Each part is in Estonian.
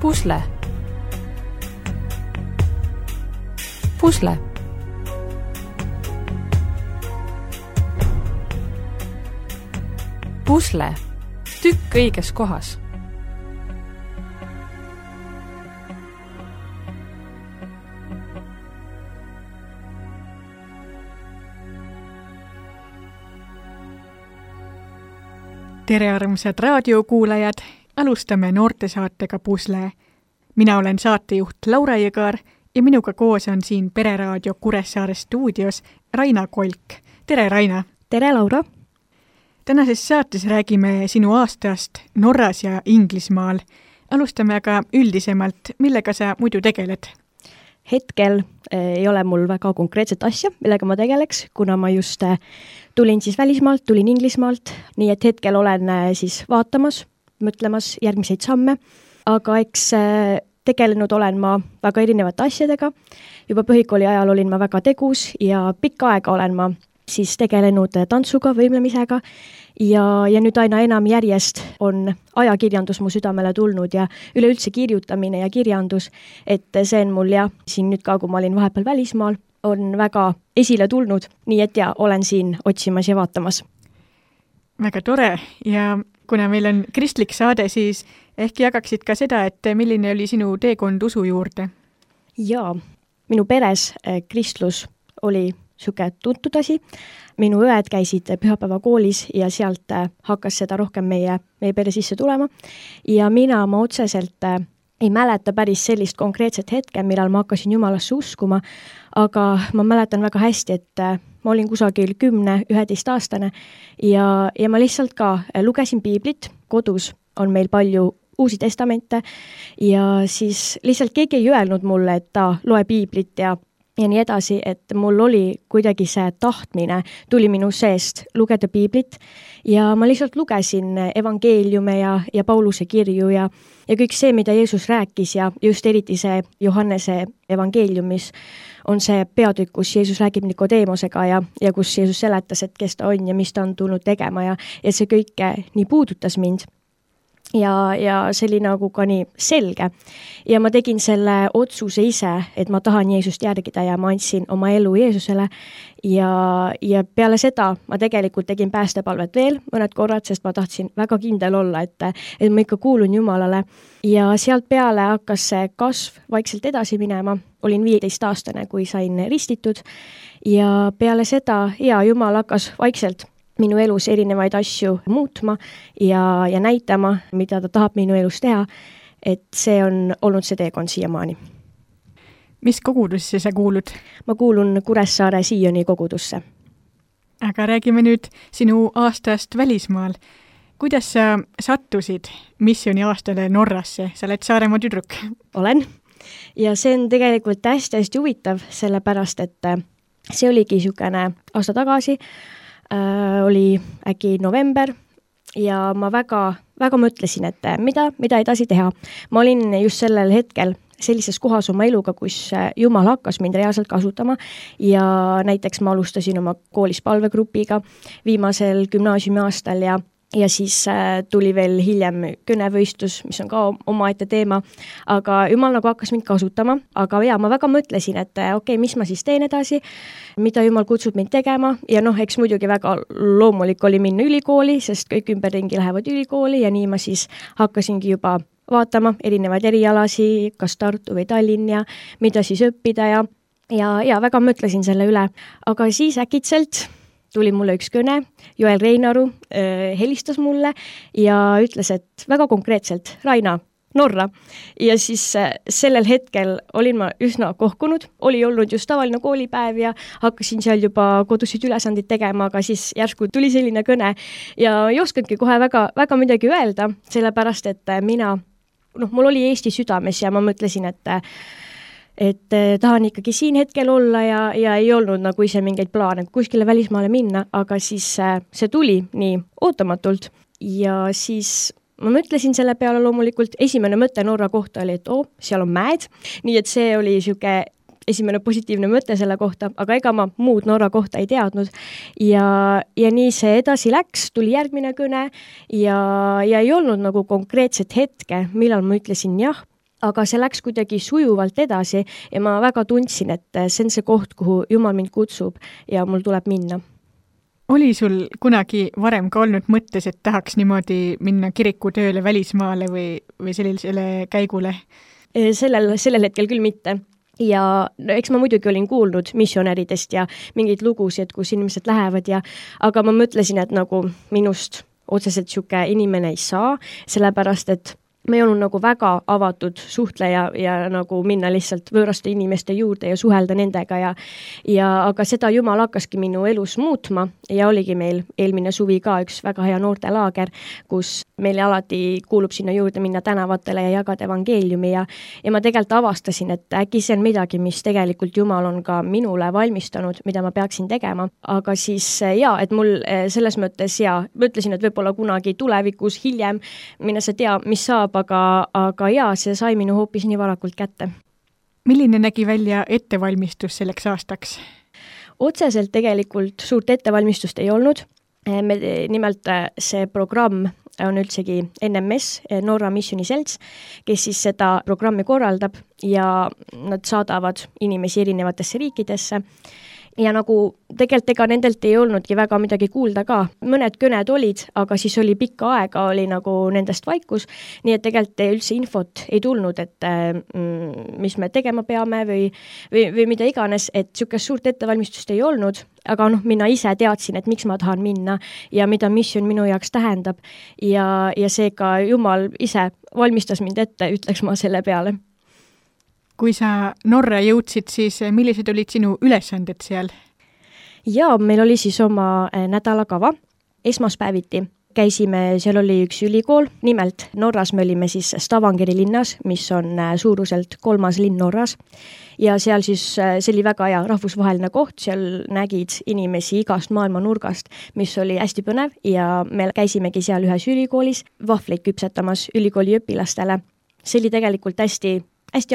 Pusle. Pusle. Pusle. Tükk õiges kohas. Tere armsad raadiokuulajad, alustame noortesaatega Pusle. Mina olen saatejuht Laura Jõgar ja minuga koos on siin Pereraadio Kuressaare stuudios Raina Kolk. Tere Raina! Tere Laura! Tänases saates räägime sinu aastast Norras ja Inglismaal. Alustame aga üldisemalt, millega sa muidu tegeled? Hetkel ei ole mul väga konkreetset asja, millega ma tegeleks, kuna ma just tulin siis välismaalt, tulin Inglismaalt, nii et hetkel olen siis vaatamas, mõtlemas järgmiseid samme, aga eks tegelenud olen ma väga erinevate asjadega. Juba põhikooli ajal olin ma väga tegus ja pikka aega olen ma siis tegelenud tantsuga, võimlemisega ja nüüd aina enam järjest on ajakirjandus mu südamele tulnud ja üleüldse kirjutamine ja kirjandus, et see on mul siin nüüd ka, kui ma olin vahepeal välismaal, on väga esile tulnud, nii et olen siin otsimas ja vaatamas. Väga tore ja kuna meil on kristlik saade, siis ehk jagaksid ka seda, et milline oli sinu teekond usu juurde? Jaa, minu peres kristlus oli siuke tuntud asi. Minu õed käisid pühapäeva koolis ja sealt hakkas seda rohkem meie pere sisse tulema. Ja ma otseselt ei mäleta päris sellist konkreetset hetke, millal ma hakkasin Jumalasse uskuma, aga ma mäletan väga hästi, et ma olin kusagil 10-11 aastane ja ma lihtsalt ka lugesin piiblit. Kodus on meil palju uusi testamente ja siis lihtsalt keegi ei öelnud mulle, et ta loe piiblit ja nii edasi, et mul oli kuidagi see tahtmine, tuli minu seest lugeda piiblit ja ma lihtsalt lugesin evangeeliume ja Pauluse kirju ja kõik see, mida Jeesus rääkis ja just eriti see Johannese evangeeliumis on see peatükk, kus Jeesus räägib Nikodeemosega ja kus Jeesus seletas, et kes ta on ja mis ta on tulnud tegema ja see kõik nii puudutas mind. Ja see oli nagu ka nii selge. Ja ma tegin selle otsuse ise, et ma tahan Jeesust järgida ja ma andsin oma elu Jeesusele. Ja peale seda ma tegelikult tegin päästepalvet veel mõned korrad, sest ma tahtsin väga kindel olla, et ma ikka kuulun Jumalale. Ja sealt peale hakkas see kasv vaikselt edasi minema. Olin 15-aastane, kui sain ristitud. Ja peale seda, Jumal hakkas vaikselt minu elus erinevaid asju muutma ja näitama, mida ta tahab minu elus teha, et see on olnud see teekond siiamaani. Mis kogudusse sa kuulud? Ma kuulun Kuressaare Sioni kogudusse. Aga räägime nüüd sinu aastast välismaal. Kuidas sa sattusid missiooni aastale Norrasse? Sa oled Saaremaa tüdruk. Olen. Ja see on tegelikult hästi huvitav, sellepärast, et see oligi niisugune aasta tagasi, oli äkki november ja ma väga mõtlesin, et mida edasi teha. Ma olin just sellel hetkel sellises kohas oma eluga, kus Jumal hakkas mind reaalselt kasutama ja näiteks ma alustasin oma koolis palvegrupiga viimasel gümnaasiumi aastal ja siis tuli veel hiljem kõnevõistlus, mis on ka omaette teema, aga Jumal nagu hakkas mind kasutama, aga ma väga mõtlesin, et mis ma siis teen edasi, mida Jumal kutsub mind tegema ja eks muidugi väga loomulik oli minna ülikooli, sest kõik ümberringi lähevad ülikooli ja nii ma siis hakkasingi juba vaatama erinevaid erialasi, kas Tartu või Tallinn ja mida siis õppida ja väga mõtlesin selle üle, aga siis äkitselt tuli mulle üks kõne, Joel Reinaru helistas mulle ja ütles, et väga konkreetselt, Raina, Norra. Ja siis sellel hetkel olin ma üsna kohkunud, oli olnud just tavaline koolipäev ja hakkasin seal juba kodusid ülesandid tegema, aga siis järsku tuli selline kõne ja ei oskanudki kohe väga midagi öelda, sellepärast, et mul oli Eesti südames ja ma mõtlesin, et tahan ikkagi siin hetkel olla ja ei olnud nagu ise mingeid plaane kuskile välismaale minna, aga siis see tuli nii ootamatult ja siis ma mõtlesin selle peale loomulikult, esimene mõte Norra kohta oli, et seal on mäed, nii et see oli siuke esimene positiivne mõte selle kohta, aga ega ma muud Norra kohta ei teadnud ja nii see edasi läks, tuli järgmine kõne ja ei olnud nagu konkreetset hetke, millal ma ütlesin jah, aga see läks kuidagi sujuvalt edasi ja ma väga tundsin, et see on see koht, kuhu Jumal mind kutsub ja mul tuleb minna. Oli sul kunagi varem ka olnud mõttes, et tahaks niimoodi minna kirikutööle välismaale või sellisele käigule? Sellel hetkel küll mitte. Ja no, eks ma muidugi olin kuulnud missionäridest ja mingeid lugusid, kus inimesed lähevad aga ma mõtlesin, et nagu minust otseselt siuke inimene ei saa, sellepärast et ma ei olnud nagu väga avatud suhtleja ja nagu minna lihtsalt võõraste inimeste juurde ja suhelda nendega aga seda Jumal hakkaski minu elus muutma ja oligi meil eelmine suvi ka üks väga hea noortelaager, kus meile alati kuulub sinna juurde minna tänavatele ja jagada evangeeliumi ja ma tegelikult avastasin, et äkki see on midagi, mis tegelikult Jumal on ka minule valmistanud, mida ma peaksin tegema, aga siis et mul selles mõttes ma ütlesin, et võib-olla kunagi tulevikus hiljem, mine sa tea, mis saab, aga see sai minu hoopis nii varakult kätte. Milline nägi välja ettevalmistus selleks aastaks? Otseselt tegelikult suurt ettevalmistust ei olnud. Nimelt see programm on üldsegi NMS, Norra Missioni Selts, kes siis seda programmi korraldab ja nad saadavad inimesi erinevatesse riikidesse. Ja nagu tegelikult ega nendelt ei olnudki väga midagi kuulda ka. Mõned kõned olid, aga siis oli pikka aega, oli nagu nendest vaikus, nii et tegelikult üldse infot ei tulnud, et mis me tegema peame või mida iganes, et niisugust suurt ettevalmistust ei olnud, aga mina ise teadsin, et miks ma tahan minna ja mida missioon minu jaoks tähendab ja seega Jumal ise valmistas mind ette, ütleks ma selle peale. Kui sa Norra jõudsid, siis millised olid sinu ülesanded seal? Ja meil oli siis oma nädalakava. Esmaspäeviti käisime, seal oli üks ülikool, nimelt Norras me olime siis Stavangeri linnas, mis on suuruselt 3. linn Norras ja seal siis see oli väga hea rahvusvaheline koht, seal nägid inimesi igast maailma nurgast, mis oli hästi põnev ja me käisimegi seal ühes ülikoolis vahvleid küpsetamas ülikooli õpilastele. See oli tegelikult hästi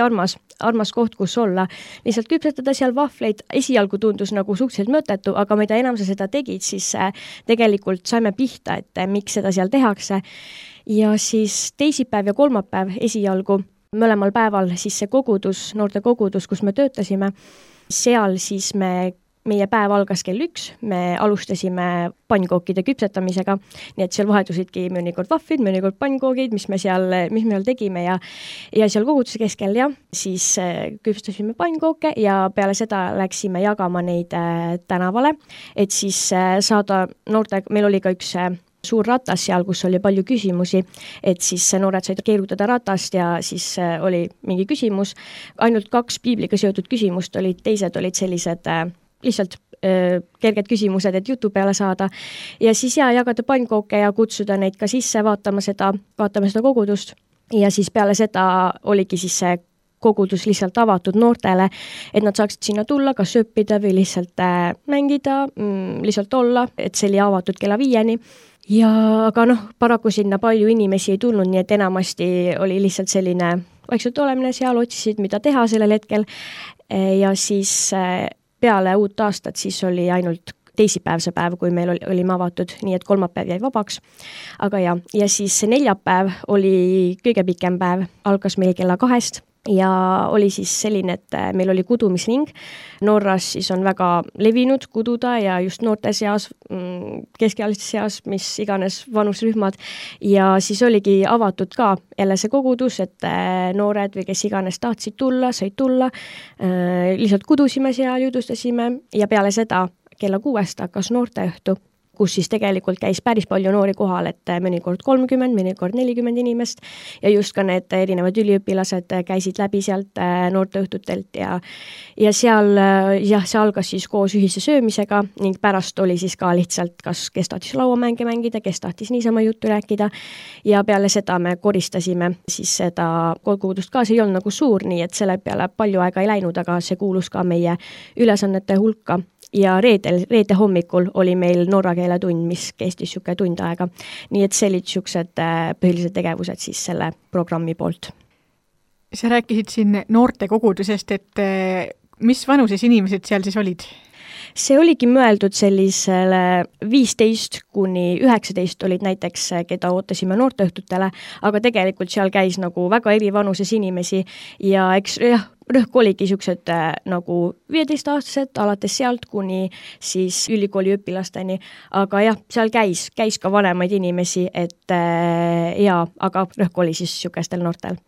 armas koht, kus olla. Lihtsalt küpsetada seal vahvleid esialgu tundus nagu suhteliselt mõttetu, aga mida enam sa seda tegid, siis tegelikult saime pihta, et miks seda seal tehakse. Ja siis teisipäev ja kolmapäev esialgu, mõlemal päeval siis see kogudus, noorte kogudus, kus me töötasime, seal siis meie päev algas kell 1, me alustasime pannkookide küpsetamisega, nii et seal vahetusidki mõnikord vahvid, mõnikord pannkoogid, mis me seal tegime ja seal koguduse keskel siis küpsetasime pannkooke ja peale seda läksime jagama neid tänavale, et siis saada meil oli ka üks suur ratas seal, kus oli palju küsimusi, et siis noored said keerutada ratast ja siis oli mingi küsimus, ainult 2 piibliga seotud küsimust olid, teised olid sellised lihtsalt kerged küsimused, et jutu peale saada ja siis jagada pannkooke ja kutsuda neid ka sisse vaatama seda kogudust ja siis peale seda oligi siis see kogudus lihtsalt avatud noortele, et nad saaksid sinna tulla, kas õppida või lihtsalt mängida, lihtsalt olla, et see oli avatud kella 5-ni. Aga paraku sinna palju inimesi ei tulnud, nii et enamasti oli lihtsalt selline vaikselt olemine seal, otsisid, mida teha sellel hetkel ja siis peale uut aastat siis oli ainult teisipäev see päev, kui meil olime avatud, nii et kolmapäev jäi vabaks. Aga ja siis neljapäev oli kõige pikem päev, algas meil kella 2 ja oli siis selline, et meil oli kudumisring. Norras siis on väga levinud kududa ja just noorte seas, keskealiste seas, mis iganes vanusrühmad ja siis oligi avatud ka jälle see kogudus, et noored või kes iganes tahtsid tulla, said tulla, lihtsalt kudusime seal, jutustasime ja peale seda kella 6 hakkas noorteõhtu, kus siis tegelikult käis päris palju noori kohal, et mõnikord 30, mõnikord 40 inimest ja just ka need erinevad üliõpilased käisid läbi sealt noorteõhtutelt ja seal see algas siis koos ühise söömisega ning pärast oli siis ka lihtsalt, kes tahtis lauamänge mängida, kes tahtis niisama juttu rääkida ja peale seda me koristasime siis seda kogudust ka, see ei olnud nagu suur, nii et selle peale palju aega ei läinud, aga see kuulus ka meie ülesannete hulka. Ja reede hommikul oli meil norra keele tund, mis kestis niisugune tund aega. Nii et see olid niisugused põhilised tegevused siis selle programmi poolt. Sa rääkisid siin noorte kogudusest, et mis vanuses inimesed seal siis olid? see oligi mõeldud sellisele 15–19 olid näiteks, keda ootasime noorteõhtutele, aga tegelikult seal käis nagu väga eri vanuses inimesi ja eks jah, rõhk oligi siuksed nagu 15-aastased, alates sealt kuni siis ülikooli õpilasteni, aga jah, seal käis ka vanemaid inimesi, et aga rõhk oli siis siukestel noortel.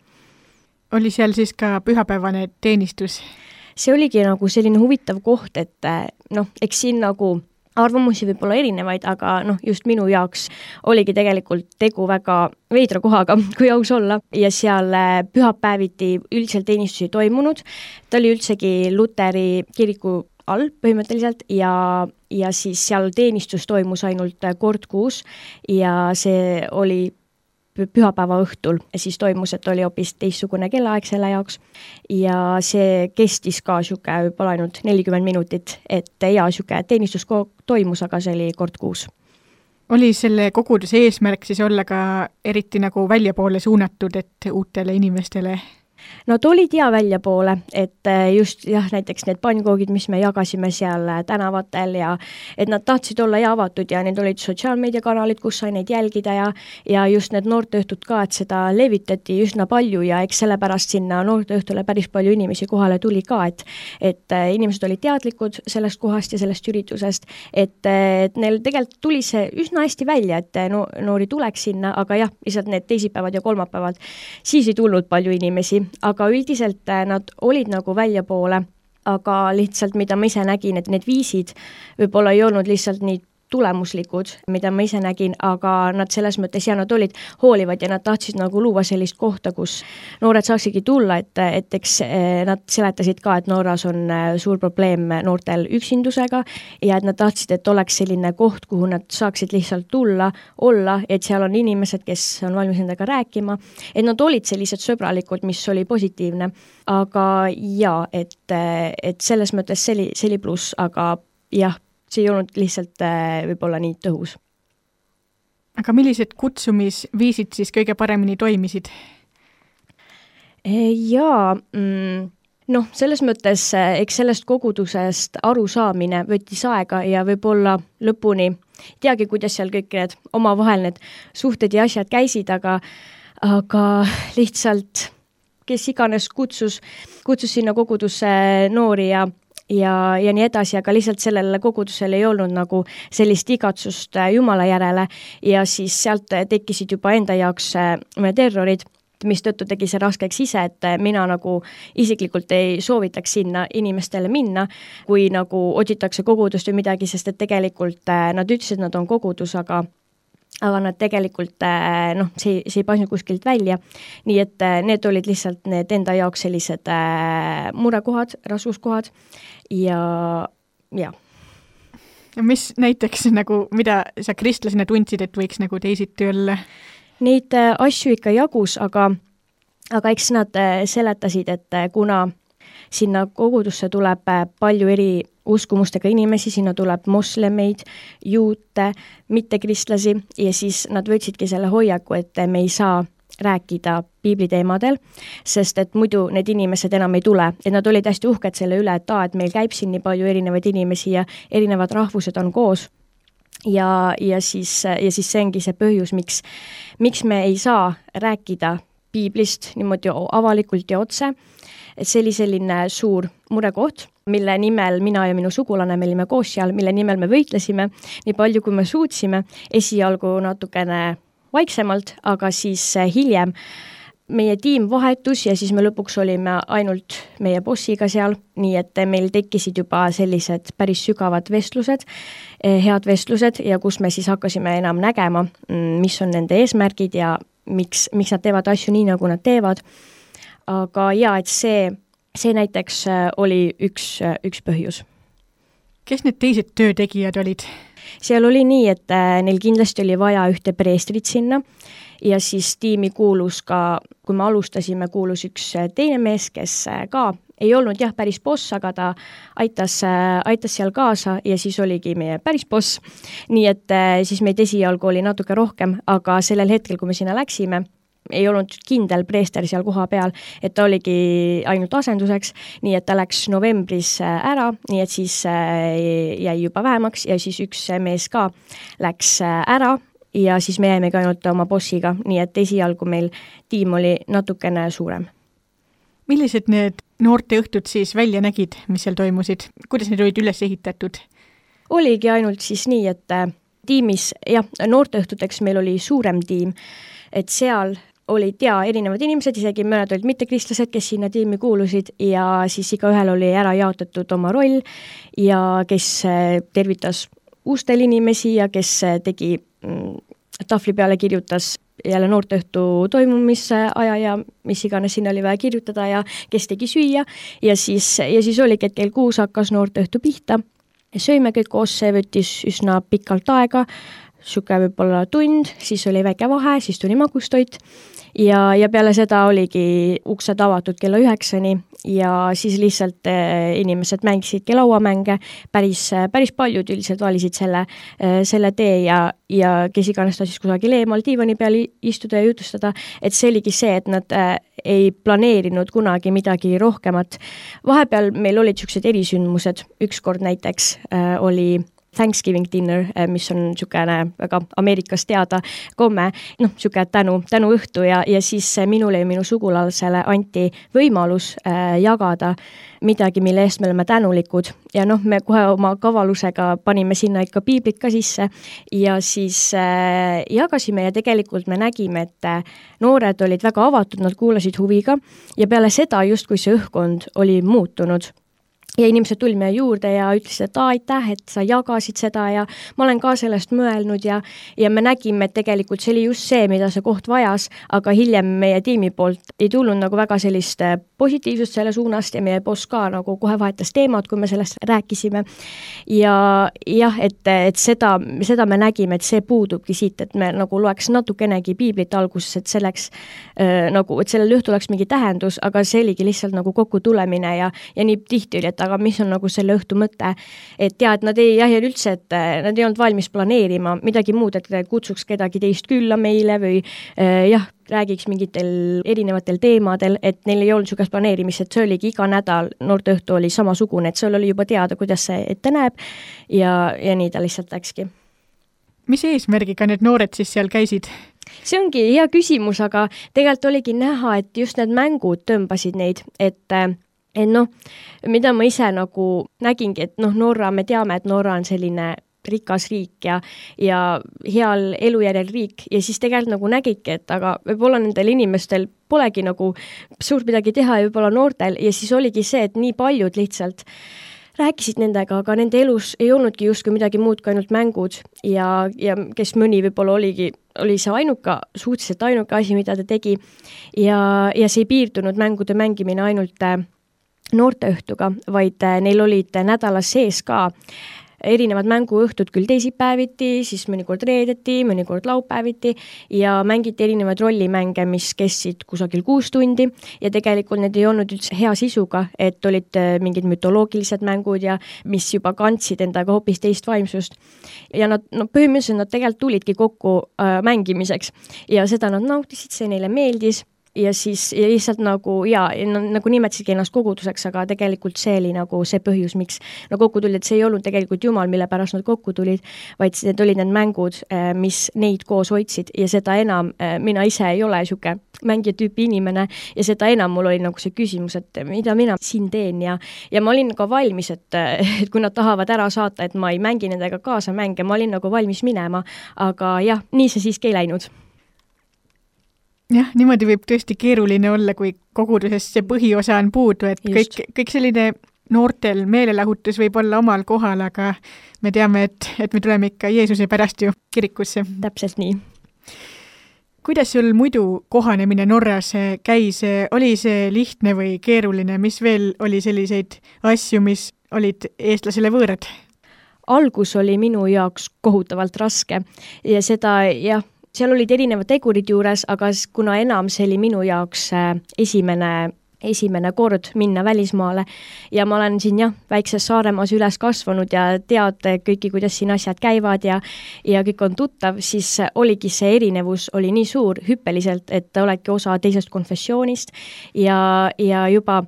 Oli seal siis ka pühapäevane teenistus? See oligi nagu selline huvitav koht, et eks siin nagu arvamusi võib olla erinevaid, aga just minu jaoks oligi tegelikult tegu väga veidra kohaga, kui aus olla, ja seal pühapäeviti üldiselt teenistusi toimunud. Ta oli üldsegi Luteri kiriku all põhimõtteliselt ja siis seal teenistus toimus ainult kord kuus ja see oli pühapäeva õhtul siis toimus, et oli hoopis teistsugune kellaaeg selle jaoks ja see kestis ka siuke võib-olla ainult 40 minutit, et siuke teenistus toimus, aga see oli kord kuus. Oli selle koguduse eesmärk siis olla ka eriti nagu väljapoole suunatud, et uutele inimestele? Nad olid väljapoole, et just näiteks need pannkoogid, mis me jagasime seal tänavatel ja et nad tahtsid olla avatud ja need olid sotsiaalmeediakanalid, kus sai neid jälgida ja just need noorteõhtud ka, et seda levitati üsna palju ja eks sellepärast sinna noorteõhtule päris palju inimesi kohale tuli ka, et inimesed olid teadlikud sellest kohast ja sellest üritusest, et neil tegelikult tuli see üsna hästi välja, et noori tuleks sinna, aga jah, lihtsalt need teisipäevad ja kolmapäevad, siis ei tulnud palju inimesi, aga üldiselt nad olid nagu väljapoole, aga lihtsalt mida ma ise nägin, et need viisid võib-olla ei olnud lihtsalt nii tulemuslikud, mida ma ise nägin, aga nad selles mõttes nad olid hoolivad ja nad tahtsid nagu luua sellist kohta, kus noored saaksidki tulla, et eks nad seletasid ka, et Norras on suur probleem noortel üksindusega ja et nad tahtsid, et oleks selline koht, kuhu nad saaksid lihtsalt tulla, olla, et seal on inimesed, kes on valmis nendega rääkima, et nad olid sellised sõbralikud, mis oli positiivne, aga et selles mõttes see oli pluss, aga jah, see ei olnud lihtsalt võib-olla nii tõhus. Aga millised kutsumisviisid siis kõige paremini toimisid? Selles mõttes, eks sellest kogudusest arusaamine võttis aega ja võib-olla lõpuni teagi, kuidas seal kõik need omavahel need suhted ja asjad käisid, aga lihtsalt kes iganes kutsus sinna kogudusse noori ja nii edasi, aga lihtsalt sellele kogudusele ei olnud nagu sellist igatsust Jumala järele ja siis sealt tekkisid juba enda jaoks terrorid, mis tõttu tegi see raskeks ise, et mina nagu isiklikult ei soovitaks sinna inimestele minna, kui nagu otsitakse kogudust või midagi, sest et tegelikult nad ütlesid, nad on kogudus, aga nad tegelikult, see ei paisnud kuskilt välja. Nii et need olid lihtsalt need enda jaoks sellised murekohad, raskuskohad ja. Ja mis näiteks mida sa kristlasena tundsid, et võiks nagu teisiti olla? Neid asju ikka jagus, aga eks nad seletasid, et kuna sinna kogudusse tuleb palju eri uskumustega inimesi, sinna tuleb moslemeid, juute, mittekristlasi ja siis nad võtsidki selle hoiaku, et me ei saa rääkida piibliteemadel, sest et muidu need inimesed enam ei tule, et nad olid hästi uhked selle üle, et meil käib siin nii palju erinevaid inimesi ja erinevad rahvused on koos ja siis see ongi see põhjus, miks me ei saa rääkida piiblist niimoodi avalikult ja otse, et see oli selline suur murekoht, mille nimel mina ja minu sugulane, me olime koos seal, mille nimel me võitlesime nii palju, kui me suutsime, esialgu natukene vaiksemalt, aga siis hiljem meie tiim vahetus ja siis me lõpuks olime ainult meie bossiga seal, nii et meil tekkisid juba sellised päris sügavad vestlused, head vestlused ja kus me siis hakkasime enam nägema, mis on nende eesmärgid ja miks nad teevad asju nii, nagu nad teevad. Aga et see näiteks oli üks põhjus. Kes need teised töötegijad olid? Seal oli nii, et neil kindlasti oli vaja ühte preestrit sinna ja siis tiimi kuulus ka, kui me alustasime, kuulus üks teine mees, kes ka ei olnud päris boss, aga ta aitas seal kaasa ja siis oligi meie päris boss. Nii et siis meid esialgu oli natuke rohkem, aga sellel hetkel, kui me sinna läksime, ei olnud kindel preester seal koha peal, et ta oligi ainult asenduseks, nii et ta läks novembris ära, nii et siis jäi juba vähemaks ja siis üks mees ka läks ära ja siis me jäimegi ainult oma bossiga, nii et esialgu meil tiim oli natukene suurem. Millised need noorteõhtud siis välja nägid, mis seal toimusid? Kuidas need olid üles ehitatud? Oligi ainult siis nii, et tiimis, noorteõhtuteks meil oli suurem tiim, et seal olid erinevad inimesed, isegi mõned olid mittekristlased, kes sinna tiimi kuulusid ja siis igaühel oli ära jaotatud oma roll ja kes tervitas uustel inimesi ja kes tegi tahvli peale kirjutas jälle noorteõhtu toimumise aja ja mis iganes sinna oli vaja kirjutada ja kes tegi süüa ja siis oligi, et kell 6 hakkas noorteõhtu pihta. Söime kõik koos, see võttis üsna pikalt aega, siuke võib-olla tund, siis oli väike vahe, siis tuli magustoit ja peale seda oligi uksed avatud kella 9-ni ja siis lihtsalt inimesed mängisidki lauamänge, päris paljud üldiselt valisid selle tee ja kes iganes ta siis kusagil eemal diivani peal istuda ja jutustada, et see oligi see, et nad ei planeerinud kunagi midagi rohkemat. Vahepeal meil olid siuksed erisündmused, ükskord näiteks oli Thanksgiving dinner, mis on niisugune väga Ameerikas teada komme, niisugune tänu õhtu ja siis minule ja minu sugulasele anti võimalus jagada midagi, mille eest me oleme tänulikud ja me kohe oma kavalusega panime sinna ikka piiblit ka sisse ja siis jagasime ja tegelikult me nägime, et noored olid väga avatud, nad kuulasid huviga ja peale seda justkui see õhkkond oli muutunud. Ja inimesed tulid meie juurde ja ütlesid, et aitäh, et sa jagasid seda ja ma olen ka sellest mõelnud ja me nägime, et tegelikult see oli just see, mida see koht vajas, aga hiljem meie tiimi poolt ei tulnud nagu väga sellist positiivsust selle suunast ja meie boss ka nagu kohe vahetas teemad, kui me sellest rääkisime. Ja jah, et seda me nägime, et see puudubki siit, et me nagu loeks natukenegi piiblit alguses, et selleks nagu, et sellel õhtul oleks mingi tähendus, aga see oligi lihtsalt nagu kokku tulemine ja nii tihti oli, et aga mis on nagu selle õhtu mõte, et nad ei üldse, et nad ei olnud valmis planeerima midagi muud, et kutsuks kedagi teist külla meile või räägiks mingitel erinevatel teemadel, et neil ei olnud niisugust planeerimist, et see oligi iga nädal, noorteõhtu oli samasugune, et seal oli juba teada, kuidas see ette näeb ja nii ta lihtsalt läkski. Mis eesmärgiga need noored siis seal käisid? See ongi hea küsimus, aga tegelikult oligi näha, et just need mängud tõmbasid neid, et mida ma ise nagu nägingi, et Norra, me teame, et Norra on selline rikas riik ja heal elujärjel riik ja siis tegelikult nagu nägidki, et aga võib-olla nendel inimestel polegi nagu suurt midagi teha ja võib-olla noortel ja siis oligi see, et nii paljud lihtsalt rääkisid nendega, aga nende elus ei olnudki justkui midagi muud kui ainult mängud ja kes mõni võib-olla oli see suhteliselt ainuke asi, mida ta tegi ja see ei piirdunud mängude mängimine ainult noorteõhtuga, vaid neil olid nädalas sees ka erinevad mänguõhtud küll teisipäeviti, siis mõnikord reedeti, mõnikord laupäeviti ja mängiti erinevaid rollimänge, mis kestsid kusagil 6 tundi ja tegelikult need ei olnud üldse hea sisuga, et olid mingid mütoloogilised mängud ja mis juba kandsid endaga hoopis teist vaimsust. Ja põhimõtteliselt nad tegelikult tulidki kokku mängimiseks ja seda nad nautisid, see neile meeldis. Ja siis lihtsalt nagu nimetasidki ennast koguduseks, aga tegelikult see oli nagu see põhjus, miks kokku tulid, et see ei olnud tegelikult Jumal, mille pärast nad kokku tulid, vaid need olid need mängud, mis neid koos hoidsid ja seda enam mina ise ei ole siuke mängija tüüpi inimene ja seda enam mul oli nagu see küsimus, et mida mina siin teen ja ma olin ka valmis, et kui nad tahavad ära saata, et ma ei mängi nendega kaasa mänge, ma olin nagu valmis minema, aga jah, nii see siiski ei läinud. Jah, niimoodi võib tõesti keeruline olla, kui kogudusest see põhiosa on puudu, et kõik selline noortel meelelahutus võib olla omal kohal, aga me teame, et me tuleme ikka Jeesuse pärast ju kirikusse. Täpselt nii. Kuidas sul muidu kohanemine Norras käis? Oli see lihtne või keeruline? Mis veel oli selliseid asju, mis olid eestlasele võõrad? Algus oli minu jaoks kohutavalt raske ja seda seal olid erinevad tegurid juures, aga kuna enam see oli minu jaoks esimene esimene kord minna välismaale ja ma olen siin väikses Saaremaas üles kasvanud ja tead kõiki, kuidas siin asjad käivad ja kõik on tuttav, siis oligi see erinevus oli nii suur hüppeliselt, et oledki osa teisest konfessioonist ja juba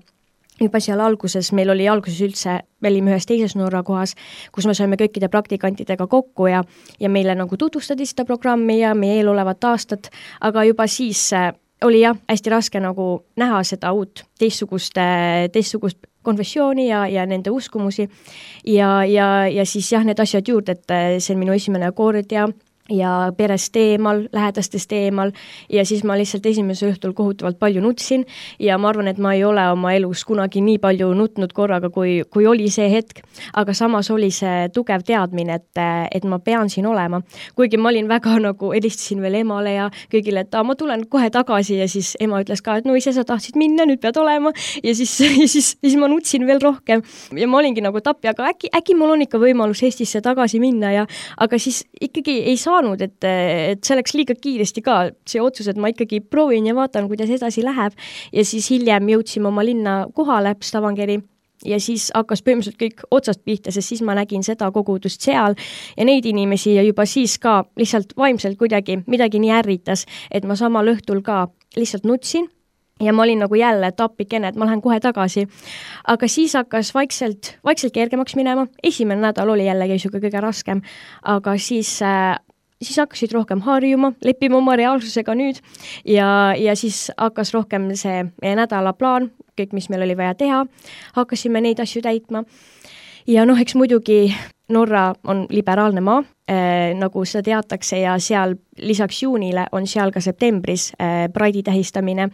seal alguses, meil oli alguses üldse, me olime ühes teises Norra kohas, kus me saime kõikide praktikantidega kokku ja meile nagu tutvustati seda programmi ja meie eelolevat aastat, aga juba siis oli hästi raske nagu näha seda uut teistsugust konfessiooni ja nende uskumusi ja siis need asjad juurde, et see on minu esimene kord ja perest eemal, lähedastest eemal ja siis ma lihtsalt esimesel õhtul kohutavalt palju nutsin ja ma arvan, et ma ei ole oma elus kunagi nii palju nutnud korraga, kui oli see hetk, aga samas oli see tugev teadmine, et ma pean siin olema. Kuigi ma olin väga nagu, helistasin veel emale ja kõigile, et ma tulen kohe tagasi ja siis ema ütles ka, et no ise sa tahtsid minna, nüüd pead olema ja siis ma nutsin veel rohkem ja ma olingi nagu tapja, aga äkki mul on ikka võimalus Eestisse tagasi minna aga siis ikkagi ei saa et see läks liiga kiiresti ka see otsus, et ma ikkagi proovin ja vaatan, kuidas edasi läheb ja siis hiljem jõudsime oma linna kohale, Stavangeri ja siis hakkas põhimõtteliselt kõik otsast pihta, sest siis ma nägin seda kogudust seal ja neid inimesi ja juba siis ka lihtsalt vaimselt kuidagi midagi nii ärritas, et ma samal õhtul ka lihtsalt nutsin ja ma olin nagu jälle tapikene, et ma lähen kohe tagasi. Aga siis hakkas vaikselt kergemaks minema. Esimene nädal oli jällegi kõige raskem, aga siis hakkasid rohkem harjuma, leppima oma reaalsusega nüüd ja siis hakkas rohkem see meie nädalaplaan, kõik, mis meil oli vaja teha, hakkasime neid asju täitma. Ja eks muidugi Norra on liberaalne maa, nagu seda teatakse ja seal lisaks juunile on seal ka septembris Pride'i tähistamine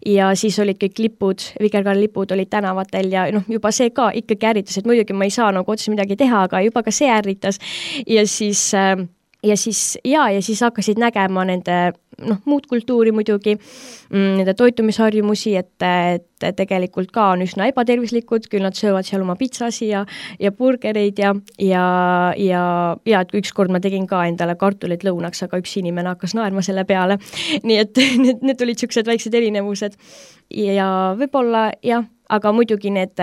ja siis olid kõik lipud, vikerkaarelipud olid tänavatel ja juba see ka ikkagi ärritas, et muidugi ma ei saa nagu otse midagi teha, aga juba ka see ärritas ja siis hakkasid nägema nende muud kultuuri muidugi, nende toitumisharjumusi, et tegelikult ka on üsna ebatervislikud, küll nad söövad seal oma pitsasi ja burgereid ja et ükskord ma tegin ka endale kartulit lõunaks, aga üks inimene hakkas naerma selle peale. Nii et need olid siuksed väiksed erinevused ja võib-olla aga muidugi need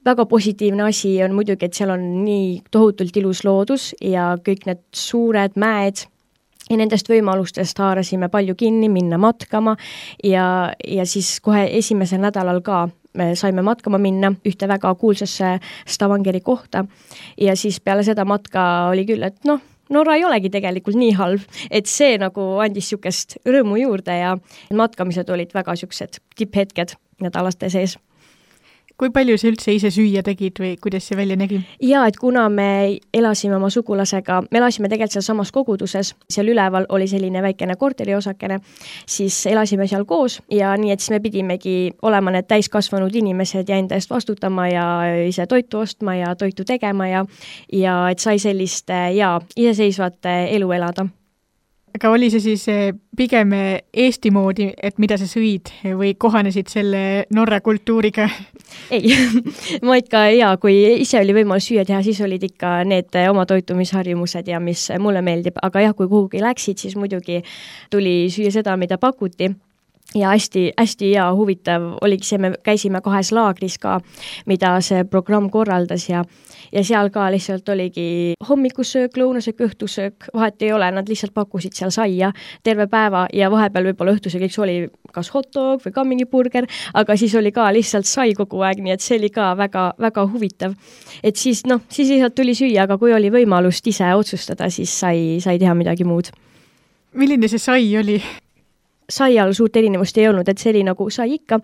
väga positiivne asi on muidugi, et seal on nii tohutult ilus loodus ja kõik need suured mäed ja nendest võimalustest haarasime palju kinni, minna matkama ja siis kohe esimesel nädalal ka me saime matkama minna ühte väga kuulsasse Stavangeri kohta ja siis peale seda matka oli küll, et Norra ei olegi tegelikult nii halb, et see nagu andis siukest rõõmu juurde ja matkamised olid väga siuksed tipphetked nädalaste sees. Kui palju sa üldse ise süüa tegid või kuidas see välja nägi? Ja, et kuna me elasime oma sugulasega, me elasime tegelikult seal samas koguduses, seal üleval oli selline väikene korteriosakene, siis elasime seal koos ja nii, et siis me pidimegi olema need täiskasvanud inimesed ja enda eest vastutama ja ise toitu ostma ja toitu tegema ja et sai sellist iseseisvat elu elada. Aga oli see siis pigem Eesti moodi, et mida sa sõid või kohanesid selle Norra kultuuriga? Ei, ma ikka kui ise oli võimalus süüa teha, siis olid ikka need oma toitumisharjumused ja mis mulle meeldib, aga kui kuhugi läksid, siis muidugi tuli süüa seda, mida pakuti. Ja hästi hea huvitav oligi see, me käisime 2 laagris ka, mida see programm korraldas ja seal ka lihtsalt oligi hommikusöök, lõunasöök, õhtusöök, vahet ei ole, nad lihtsalt pakkusid seal saia terve päeva ja vahepeal võib-olla õhtusöögiks oli kas hot dog või ka mingi burger, aga siis oli ka lihtsalt sai kogu aeg, nii et see oli ka väga, väga huvitav. Et siis lihtsalt tuli süüa, aga kui oli võimalust ise otsustada, siis sai teha midagi muud. Milline see sai oli? Sai all suurt erinevust ei olnud, et see oli nagu sai ikka,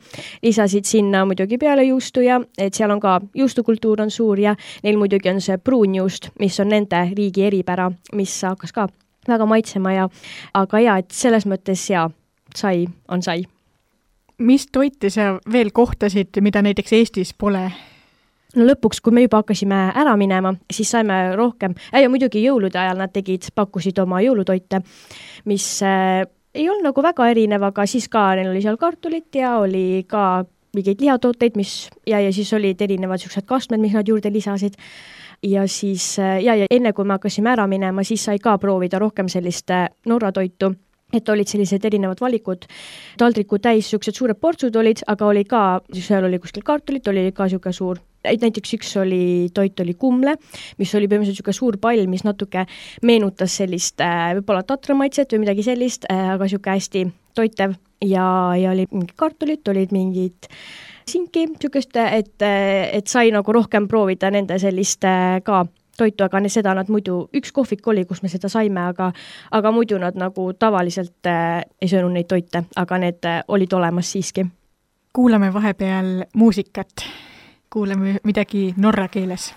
lisasid sinna muidugi peale juustu ja et seal on ka juustukultuur on suur ja neil muidugi on see pruunjuust, mis on nende riigi eripära, mis hakkas ka väga maitsema aga et selles mõttes sai on sai. Mis toite sa veel kohtasid, mida näiteks Eestis pole? No lõpuks, kui me juba hakkasime ära minema, siis saime rohkem ja muidugi jõulude ajal nad pakkusid oma jõulutoite, mis ei olnud nagu väga erinev, aga siis ka neil oli seal kartulit ja oli ka mingeid lihatooteid, ja siis olid erinevad siuksed kastmed, mis nad juurde lisasid. Ja siis, ja enne kui me hakkasime ära minema, siis sai ka proovida rohkem sellist Norra toitu. et olid sellised erinevad valikud, taldriku täis niisugused suured portsud olid, aga oli ka, seal oli kuskil kartulit, oli ka niisugune suur, näiteks üks toit oli kumle, mis oli põhimõtteliselt niisugune suur pall, mis natuke meenutas sellist võib-olla tatramaitset või midagi sellist, aga niisugune hästi toitev ja oli mingid kartulit, olid mingid sinki, niisugust, et sai nagu rohkem proovida nende sellist ka toitu, aga seda nad muidu, üks kohvik oli, kus me seda saime, aga muidu nad nagu tavaliselt ei söönud neid toite, aga need olid olemas siiski. Kuulame vahepeal muusikat. Kuulame midagi norra keeles.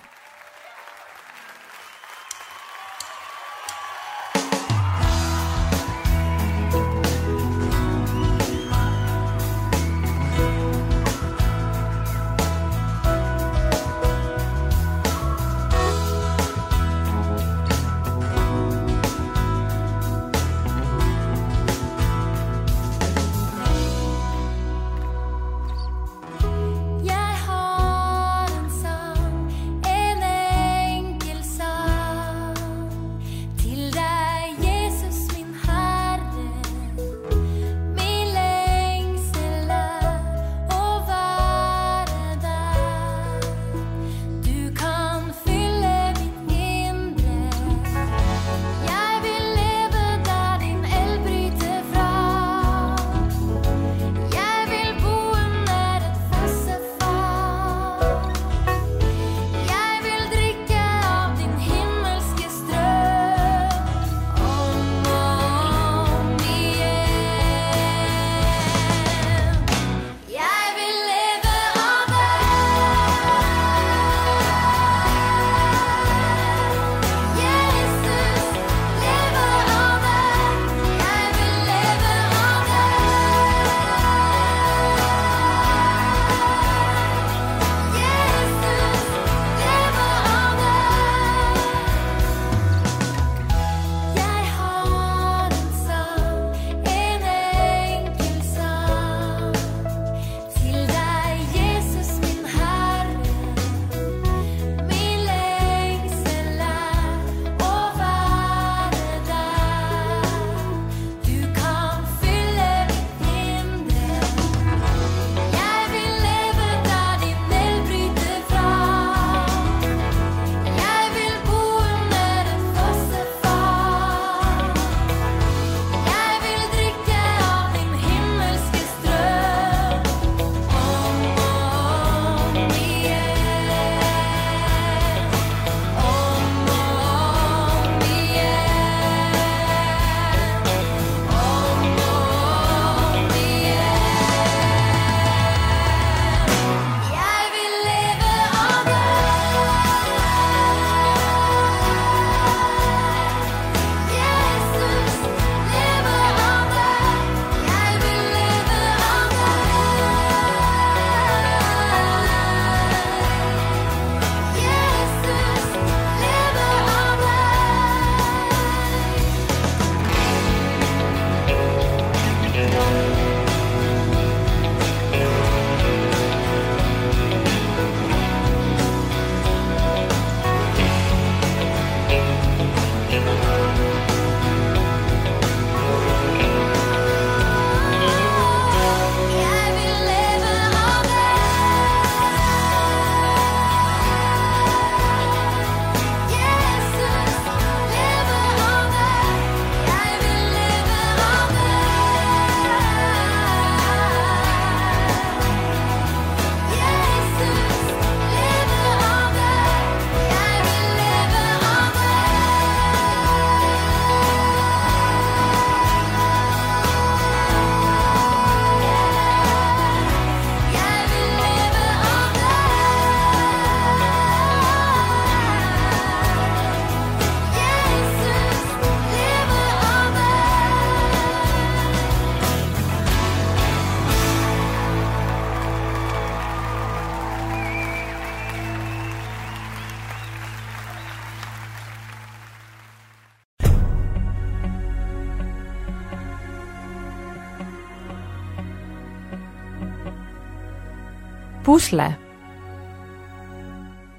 Pusle.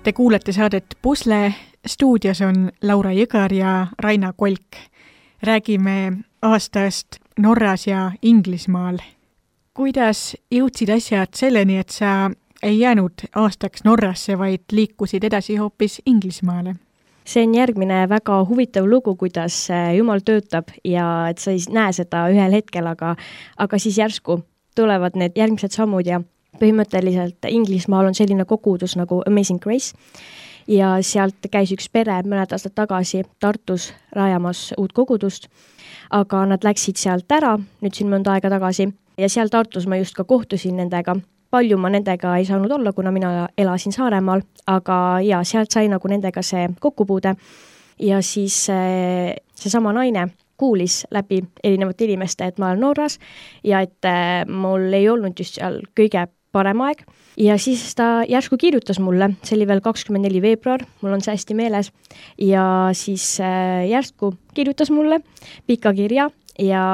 Te kuulete saadet Pusle, stuudios on Laura Jõgar ja Raina Kolk. Räägime aastast Norras ja Inglismaal. Kuidas jõudsid asjad selleni, et sa ei jäänud aastaks Norrasse, vaid liikusid edasi hoopis Inglismaale? See on järgmine väga huvitav lugu, kuidas Jumal töötab ja et sa ei näe seda ühel hetkel, aga siis järsku tulevad need järgmised sammud ja põhimõtteliselt Inglismaal on selline kogudus nagu Amazing Grace ja sealt käis üks pere mõned aastad tagasi Tartus rajamas uut kogudust, aga nad läksid sealt ära, nüüd siin mõnda aega tagasi ja seal Tartus ma just ka kohtusin nendega. Palju ma nendega ei saanud olla, kuna mina elasin Saaremaal, aga ja sealt sai nagu nendega see kokkupuude ja siis see sama naine kuulis läbi erinevate inimeste, et ma olen Norras ja et mul ei olnud just seal kõige parem aeg ja siis ta järsku kirjutas mulle, see oli veel 24. veebruar, mul on see hästi meeles ja siis järsku kirjutas mulle pika kirja ja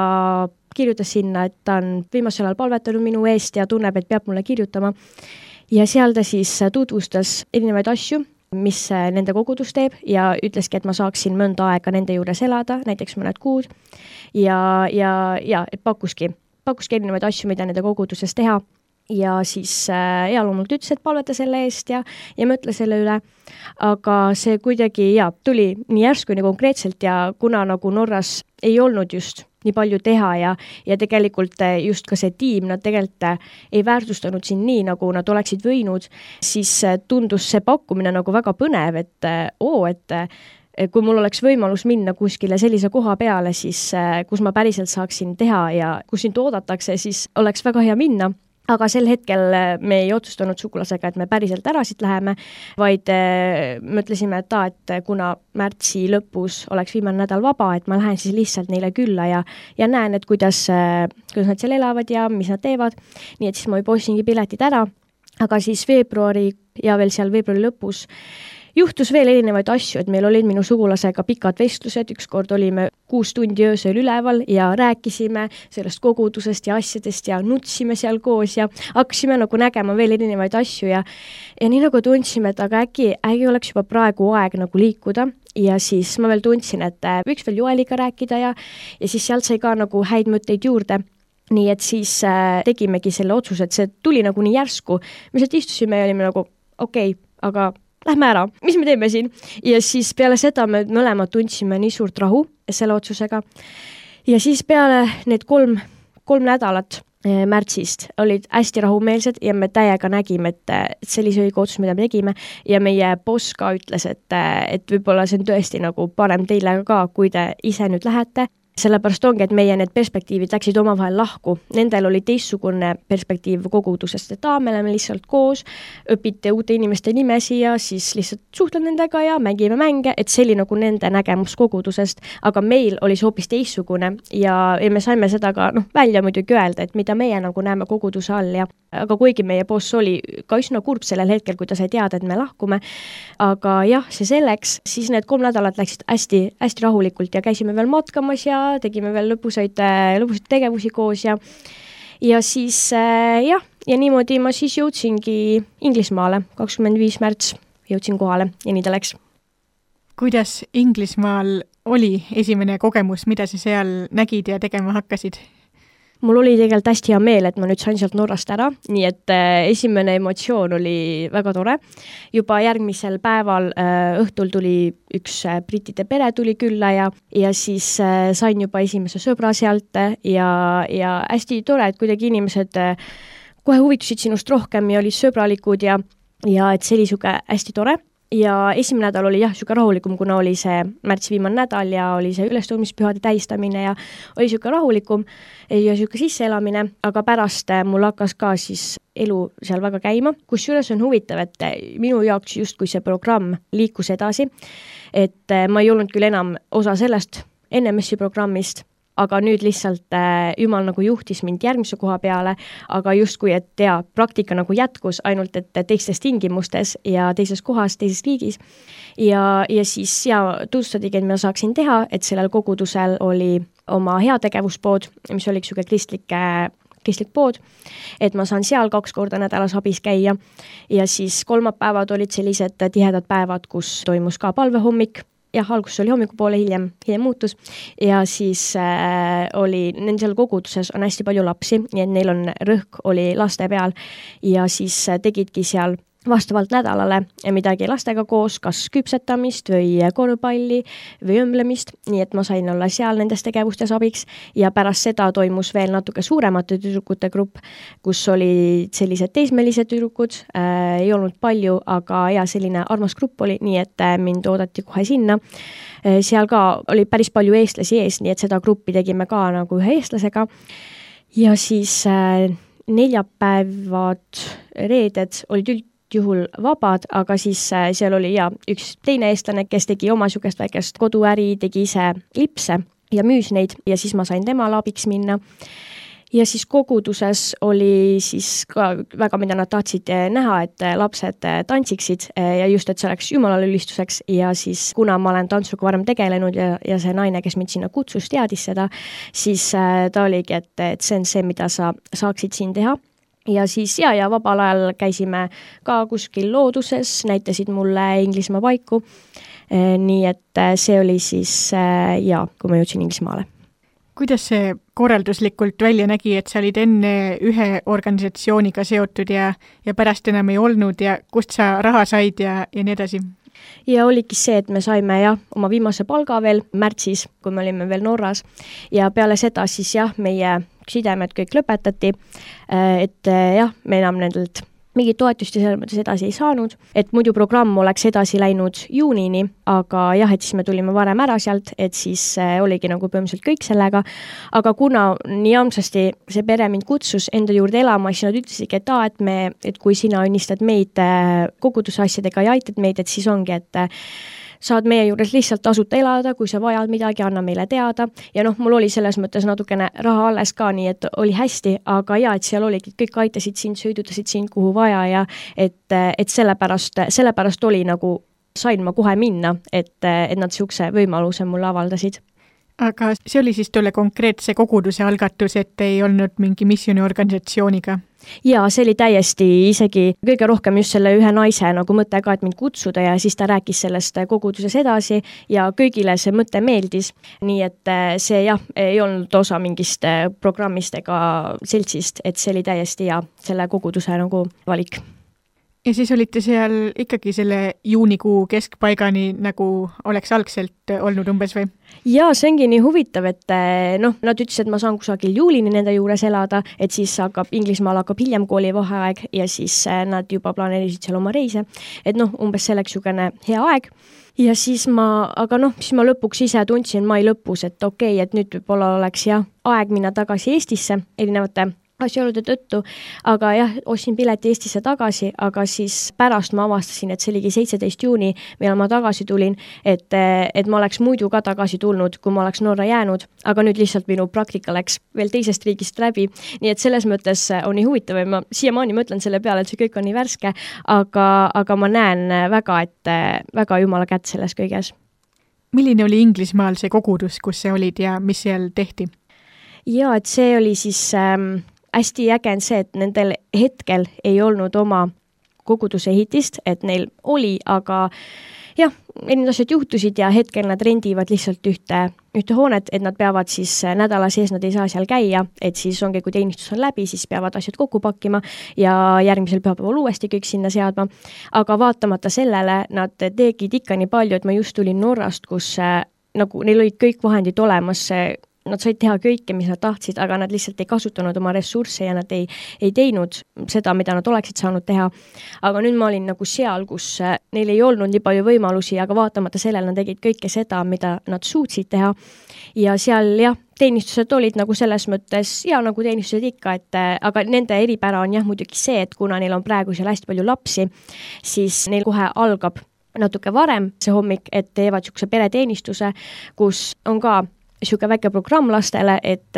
kirjutas sinna, et ta on viimasel ajal palvetanud minu eest ja tunneb, et peab mulle kirjutama. Ja seal ta siis tutvustas erinevaid asju, mis nende kogudus teeb ja ütleski, et ma saaksin mõnda aega nende juures elada, näiteks mõned kuud. Ja et pakkuski erinevaid asju, mida nende koguduses teha. Ja siis loomult ütles, et palveta selle eest ja mõtle selle üle. Aga see kuidagi tuli nii järsku, nii konkreetselt ja kuna nagu Norras ei olnud just nii palju teha ja tegelikult just ka see tiim, nad tegelikult ei väärtustanud siin nii, nagu nad oleksid võinud, siis tundus see pakkumine nagu väga põnev, et kui mul oleks võimalus minna kuskile sellise koha peale, siis kus ma päriselt saaksin teha ja kus sind oodatakse, siis oleks väga hea minna. Aga sel hetkel me ei otsustanud sugulasega, et me päriselt ära siit läheme, vaid mõtlesime, et kuna märtsi lõpus oleks viimane nädal vaba, et ma lähen siis lihtsalt neile külla ja näen, et kuidas nad seal elavad ja mis nad teevad. Nii et siis ma juba ostsingi piletid ära, aga siis veebruari ja veel seal veebruari lõpus juhtus veel erinevaid asju, et meil olid minu sugulasega pikad vestlused, ükskord olime 6 tundi öösel üleval ja rääkisime sellest kogudusest ja asjadest ja nutsime seal koos ja hakkasime nagu nägema veel erinevaid asju ja nii nagu tundsime, et aga äkki oleks juba praegu aeg nagu liikuda ja siis ma veel tundsin, et võiks veel Joeliga rääkida ja siis sealt sai ka nagu häid mõtteid juurde. Nii et siis tegimegi selle otsuse, et see tuli nagu nii järsku. Me sealt istusime ja olime nagu okei, aga lähme ära, mis me teeme siin? Ja siis peale seda me mõlemad tundsime nii suurt rahu selle otsusega. Ja siis peale need kolm nädalat märtsist olid hästi rahumeelsed ja me täiega nägime, et sellise õige otsus, mida me tegime ja meie boss ka ütles, et võib-olla see on tõesti nagu parem teile ka, kui te ise nüüd lähete. Sellepärast ongi, et meie need perspektiivid läksid omavahel lahku. Nendel oli teistsugune perspektiiv kogudusest, et me oleme lihtsalt koos, õpite uute inimeste nimesi ja siis lihtsalt suhtled nendega ja mängime mänge, et see oli nagu nende nägemus kogudusest, aga meil oli see hoopis teistsugune ja me saime seda ka välja muidugi öelda, et mida meie nagu näeme koguduse all ja aga kuigi meie boss oli ka üsna kurb sellel hetkel, kui ta sai teada, et me lahkume, aga see selleks, siis need 3 nädalat läksid hästi, hästi rahulikult ja käisime veel matkamas ja tegime veel lõpusaid tegevusi koos ja siis ja niimoodi ma siis jõudsingi Inglismaale, 25. märts jõudsin kohale ja nii ta läks. Kuidas Inglismaal oli esimene kogemus, mida sa seal nägid ja tegema hakkasid? Mul oli tegelikult hästi hea meel, et ma nüüd sain sealt Norrast ära, nii et esimene emotsioon oli väga tore. Juba järgmisel päeval õhtul tuli üks brittide pere tuli külla ja siis sain juba esimese sõbra sealt ja hästi tore, et kuidagi inimesed kohe huvitusid sinust rohkem ja olid sõbralikud ja et see oli siuke hästi tore. Ja esimene nädal oli siuke rahulikum, kuna oli see märtsi viimane nädal ja oli see ülestõusmispühade tähistamine ja oli siuke rahulikum ja siuke sisseelamine, aga pärast mul hakkas ka siis elu seal väga käima, kusjuures on huvitav, et minu jaoks justkui see programm liikus edasi, et ma ei olnud küll enam osa sellest NMS-i programmist, aga nüüd lihtsalt Jumal nagu juhtis mind järgmise koha peale, aga justkui, et praktika nagu jätkus ainult, et teistes tingimustes ja teises kohas, teises riigis. Ja siis tutvustadigi, et ma saaksin teha, et sellel kogudusel oli oma heategevuspood, mis oli siuke kristlik pood, et ma saan seal 2 korda nädalas abis käia ja siis kolmapäevad olid sellised tihedad päevad, kus toimus ka palvehommik jah, alguses oli hommikupoole, hiljem muutus ja siis oli, nendel koguduses on hästi palju lapsi, nii et neil on rõhk oli laste peal ja siis tegidki seal vastavalt nädalale midagi lastega koos, kas küpsetamist või korvpalli või õmblemist, nii et ma sain olla seal nendes tegevustes abiks ja pärast seda toimus veel natuke suuremate tüdrukute grupp, kus olid sellised teismelised tüdrukud, ei olnud palju, aga ja selline armas grupp oli, nii et mind oodati kohe sinna. Seal ka oli päris palju eestlasi ees, nii et seda gruppi tegime ka nagu ühe eestlasega ja siis neljapäevad, reeded olid juhul vabad, aga siis seal oli üks teine eestlane, kes tegi oma sugust väikest koduäri, tegi ise lipse ja müüs neid ja siis ma sain temale abiks minna. Ja siis koguduses oli siis ka väga, mida nad tahtsid näha, et lapsed tantsiksid ja just, et see oleks jumalale ülistuseks ja siis kuna ma olen tantsuga varem tegelenud ja see naine, kes mind sinna kutsus, teadis seda, siis ta oligi, et see on see, mida sa saaksid siin teha. Ja siis ja vabal ajal käisime ka kuskil looduses, näitasid mulle Inglismaa paiku, nii et see oli siis kui ma jõudsin Inglismaale. Kuidas see korralduslikult välja nägi, et sa olid enne ühe organisatsiooniga seotud ja pärast enam ei olnud ja kust sa raha said ja nii edasi? Ja oligi see, et me saime oma viimase palga veel märtsis, kui me olime veel Norras ja peale seda siis meie sidemed kõik lõpetati, et me enam nendelt mingit toetust ja selles mõttes edasi ei saanud, et muidu programm oleks edasi läinud juunini, aga et siis me tulime varem ära sealt, et siis oligi nagu põhimõtteliselt kõik sellega, aga kuna nii amsasti see pere mind kutsus enda juurde elama, siis nad ütlesidki, et kui sina õnnistad meid koguduse asjadega ja aitad meid, et siis ongi, et saad meie juures lihtsalt tasuta elada, kui sa vajad midagi, anna meile teada. Ja mul oli selles mõttes natukene raha alles ka, nii et oli hästi, aga et seal oligi, kõik aitasid sind, sõidutasid sind kuhu vaja ja et sellepärast oli nagu, sain ma kohe minna, et nad siukse võimaluse mulle avaldasid. Aga see oli siis tolle konkreetse koguduse algatus, et ei olnud mingi missiooniorganisatsiooniga? Ja see oli täiesti isegi kõige rohkem just selle ühe naise nagu mõte ka, et mind kutsuda ja siis ta rääkis sellest koguduses edasi ja kõigile see mõte meeldis. Nii et see ei olnud osa mingist programmist ega seltsist, et see oli täiesti selle koguduse nagu valik. Ja siis olite seal ikkagi selle juunikuu keskpaigani, nagu oleks algselt olnud umbes või? Ja see ongi nii huvitav, et nad ütlesid, et ma saan kusagil juulini nende juures elada, et siis Inglismaal hakkab hiljem koolivaheaeg ja siis nad juba planeerisid seal oma reise, et umbes selleks jugene hea aeg. Ja siis aga siis ma lõpuks ise tundsin mai lõpus, et okei, et nüüd võib-olla oleks aeg minna tagasi Eestisse erinevate asjaolude tõttu, aga ostsin pileti Eestisse tagasi, aga siis pärast ma avastasin, et see oligi 17. juuni, millal ma tagasi tulin, et ma oleks muidu ka tagasi tulnud, kui ma oleks Norra jäänud, aga nüüd lihtsalt minu praktika läks veel teisest riigist läbi, nii et selles mõttes on nii huvitav ja ma siiamaani mõtlen selle peale, et see kõik on nii värske, aga ma näen väga, et väga jumala kätt selles kõiges. Milline oli Inglismaal see kogudus, kus sa olid ja mis seal tehti? Ja, et see oli siis hästi äge on see, et nendel hetkel ei olnud oma koguduse ehitist, et neil oli, aga erinevad asjad juhtusid ja hetkel nad rendivad lihtsalt ühte hoonet, et nad peavad siis nädala sees, nad ei saa seal käia, et siis ongi, kui teenistus on läbi, siis peavad asjad kokku pakkima ja järgmisel pühapäeval uuesti kõik sinna seadma. Aga vaatamata sellele nad tegid ikka nii palju, et ma just tulin Norrast, kus nagu neil olid kõik vahendid olemas, nad said teha kõike, mis nad tahtsid, aga nad lihtsalt ei kasutanud oma ressursse ja nad ei teinud seda, mida nad oleksid saanud teha. Aga nüüd ma olin nagu seal, kus neil ei olnud nii palju võimalusi, aga vaatamata sellele nad tegid kõike seda, mida nad suutsid teha. Ja seal teenistused olid nagu selles mõttes nagu teenistused ikka, aga nende eripära on muidugi see, et kuna neil on praegu seal hästi palju lapsi, siis neil kohe algab natuke varem see hommik, et teevad siukse pereteenistuse, kus on ka siuke väike programm lastele, et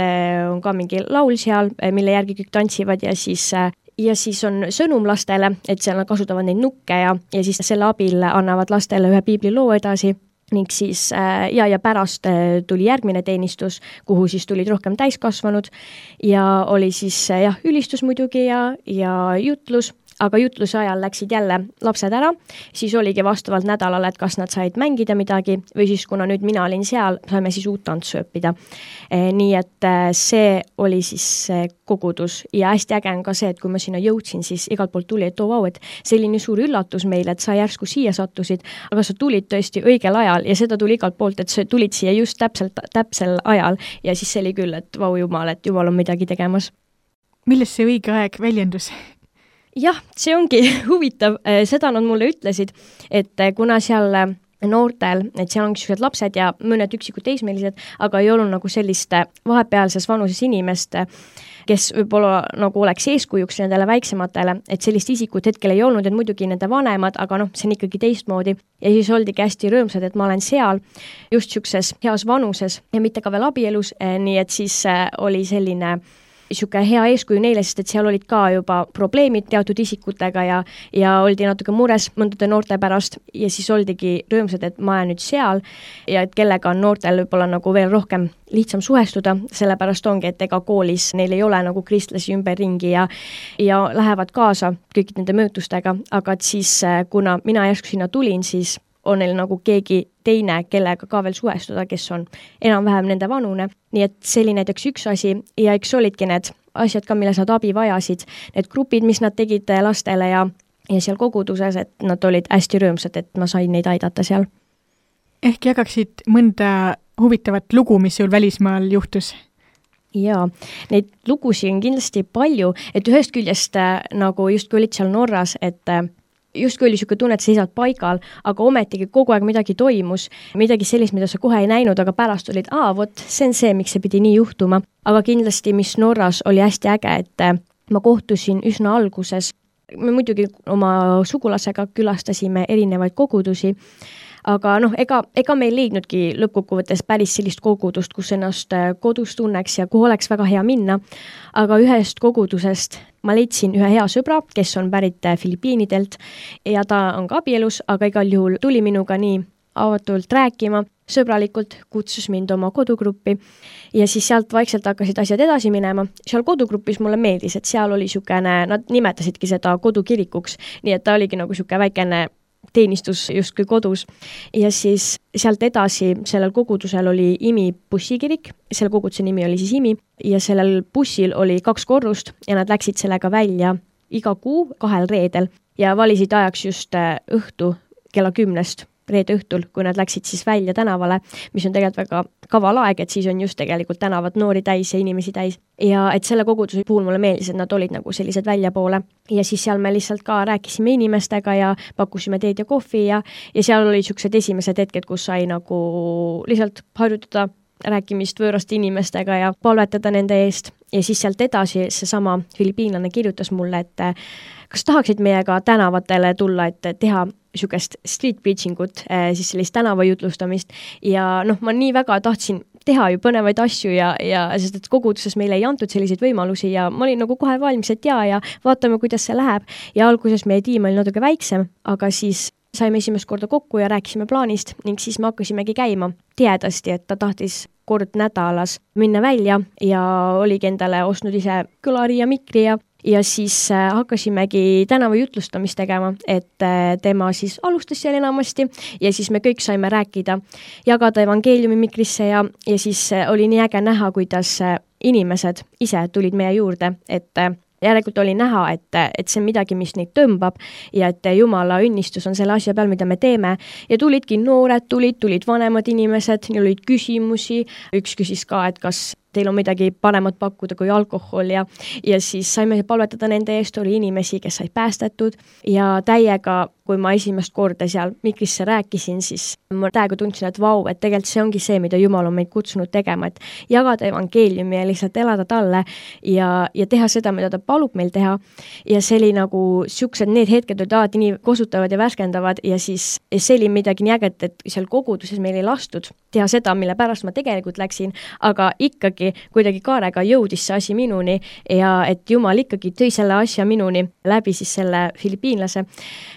on ka mingi laul seal, mille järgi kõik tantsivad ja siis on sõnum lastele, et seal nad kasutavad neid nukke ja siis selle abil annavad lastele ühe piibliloo edasi. ning siis ja pärast tuli järgmine teenistus, kuhu siis tulid rohkem täiskasvanud ja oli siis ülistus muidugi ja jutlus, aga jutluse ajal läksid jälle lapsed ära, siis oligi vastavalt nädalale, et kas nad said mängida midagi või siis kuna nüüd mina olin seal, saime siis uut tantsu õppida. Nii et see oli siis kogudus ja hästi äge on ka see, et kui ma sinna jõudsin, siis igalt poolt tuli, et et see oli nii suur üllatus meile, et sa järsku siia sattusid, aga sa tulid tõesti õigel ajal ja seda tuli igalt poolt, et sa tulid siia just täpsel ajal ja siis see oli küll, et jumal, et jumal on midagi tegemas. Milles see õige aeg väljendus? Jah, see ongi huvitav, seda nad mulle ütlesid, et kuna seal noortel, et seal ongi sellised lapsed ja mõned üksikud teismelised, aga ei olnud nagu sellist vahepealses vanuses inimest, kes võib-olla nagu oleks eeskujuks nendele väiksematele, et sellist isikut hetkel ei olnud, et muidugi nende vanemad, aga see on ikkagi teistmoodi. Ja siis oldigi hästi rõõmsad, et ma olen seal just siukses heas vanuses ja mitte ka veel abielus, nii et siis oli selline siuke hea eeskuju neile, sest et seal olid ka juba probleemid teatud isikutega ja oldi natuke mures mõndade noorte pärast ja siis oldigi rõõmsad, et ma olen nüüd seal ja et kellega on noortel võib-olla nagu veel rohkem lihtsam suhestuda, sellepärast ongi, et ega koolis neil ei ole nagu kristlasi ümberringi ja lähevad kaasa kõik nende mõjutustega, aga et siis kuna mina järsku sinna tulin, siis on neil nagu keegi teine, kellega ka veel suhestuda, kes on enam-vähem nende vanune. Nii et see oli näiteks üks asi ja eks olidki need asjad ka, milles nad abi vajasid, need grupid, mis nad tegid lastele ja seal koguduses, et nad olid hästi rõõmsad, et ma sain neid aidata seal. Ehk jagaksid mõnda huvitavat lugu, mis sul välismaal juhtus? Jaa, neid lugusid on kindlasti palju, et ühest küljest nagu just kui olid seal Norras, et justkui oli siuke tunne, et seisad paigal, aga ometigi kogu aeg midagi toimus, midagi sellist, mida sa kohe ei näinud, aga pärast olid, see on see, miks see pidi nii juhtuma. Aga kindlasti, mis Norras oli hästi äge, et ma kohtusin üsna alguses. Me muidugi oma sugulasega külastasime erinevaid kogudusi, aga ega me ei leidnudki lõppkokkuvõttes päris sellist kogudust, kus ennast kodus tunneks ja kuhu oleks väga hea minna. Aga ühest kogudusest ma leidsin ühe hea sõbra, kes on pärit Filipiinidelt ja ta on ka abielus, aga igal juhul tuli minuga nii avatult rääkima, sõbralikult kutsus mind oma kodugruppi ja siis sealt vaikselt hakkasid asjad edasi minema. Seal kodugrupis mulle meeldis, et seal oli siukene, nad nimetasidki seda kodukirikuks, nii et ta oligi nagu siuke väikene teenistus justkui kodus ja siis sealt edasi sellel kogudusel oli IMI bussikirik, selle koguduse nimi oli siis IMI ja sellel bussil oli 2 korrust ja nad läksid sellega välja iga kuu 2 reedel ja valisid ajaks just õhtu kella 10 reede õhtul, kui nad läksid siis välja tänavale, mis on tegelikult väga kaval aeg, et siis on just tegelikult tänavad noori täis ja inimesi täis. Ja et selle koguduse puhul mulle meeldis, et nad olid nagu sellised väljapoole ja siis seal me lihtsalt ka rääkisime inimestega ja pakkusime teed ja kohvi ja seal olid siuksed esimesed hetked, kus sai nagu lihtsalt harjutada rääkimist võõraste inimestega ja palvetada nende eest ja siis sealt edasi seesama filipiinlane kirjutas mulle, et kas tahaksid meiega tänavatele tulla, et teha siukest street preachingut, siis sellist tänavajutlustamist ja ma nii väga tahtsin teha ju põnevaid asju ja sest et koguduses meile ei antud selliseid võimalusi ja ma olin nagu kohe valmis, et ja vaatame, kuidas see läheb ja alguses meie tiim oli natuke väiksem, aga siis saime esimest korda kokku ja rääkisime plaanist ning siis me hakkasimegi käima tihedasti, et ta tahtis kord nädalas minna välja ja oligi endale ostnud ise kõlari ja mikri ja siis hakkasimegi tänavajutlustamist tegema, et tema siis alustas seal enamasti ja siis me kõik saime rääkida, jagada evangeeliumi mikrisse ja siis oli nii äge näha, kuidas inimesed ise tulid meie juurde, et järelikult oli näha, et see on midagi, mis neid tõmbab ja et Jumala õnnistus on selle asja peal, mida me teeme ja tulidki noored, tulid vanemad inimesed, neil olid küsimusi, üks küsis ka, et kas teil on midagi paremat pakkuda kui alkohol ja siis saime palvetada nende eest, oli inimesi, kes said päästetud ja täiega, kui ma esimest korda seal mikrisse rääkisin, siis ma täiega tundsin, et vau, et tegelikult see ongi see, mida Jumal on meid kutsunud tegema, et jagada evangeeliumi ja lihtsalt elada talle ja teha seda, mida ta palub meil teha ja see oli nagu siuksed, need hetked olid alati nii kosutavad ja värskendavad ja siis see oli midagi nii äget, et seal koguduses meil ei lastud teha seda, mille pärast ma tegelikult läksin, aga ikkagi kuidagi kaarega jõudis see asi minuni ja et Jumal ikkagi tõi selle asja minuni läbi siis selle filipiinlase,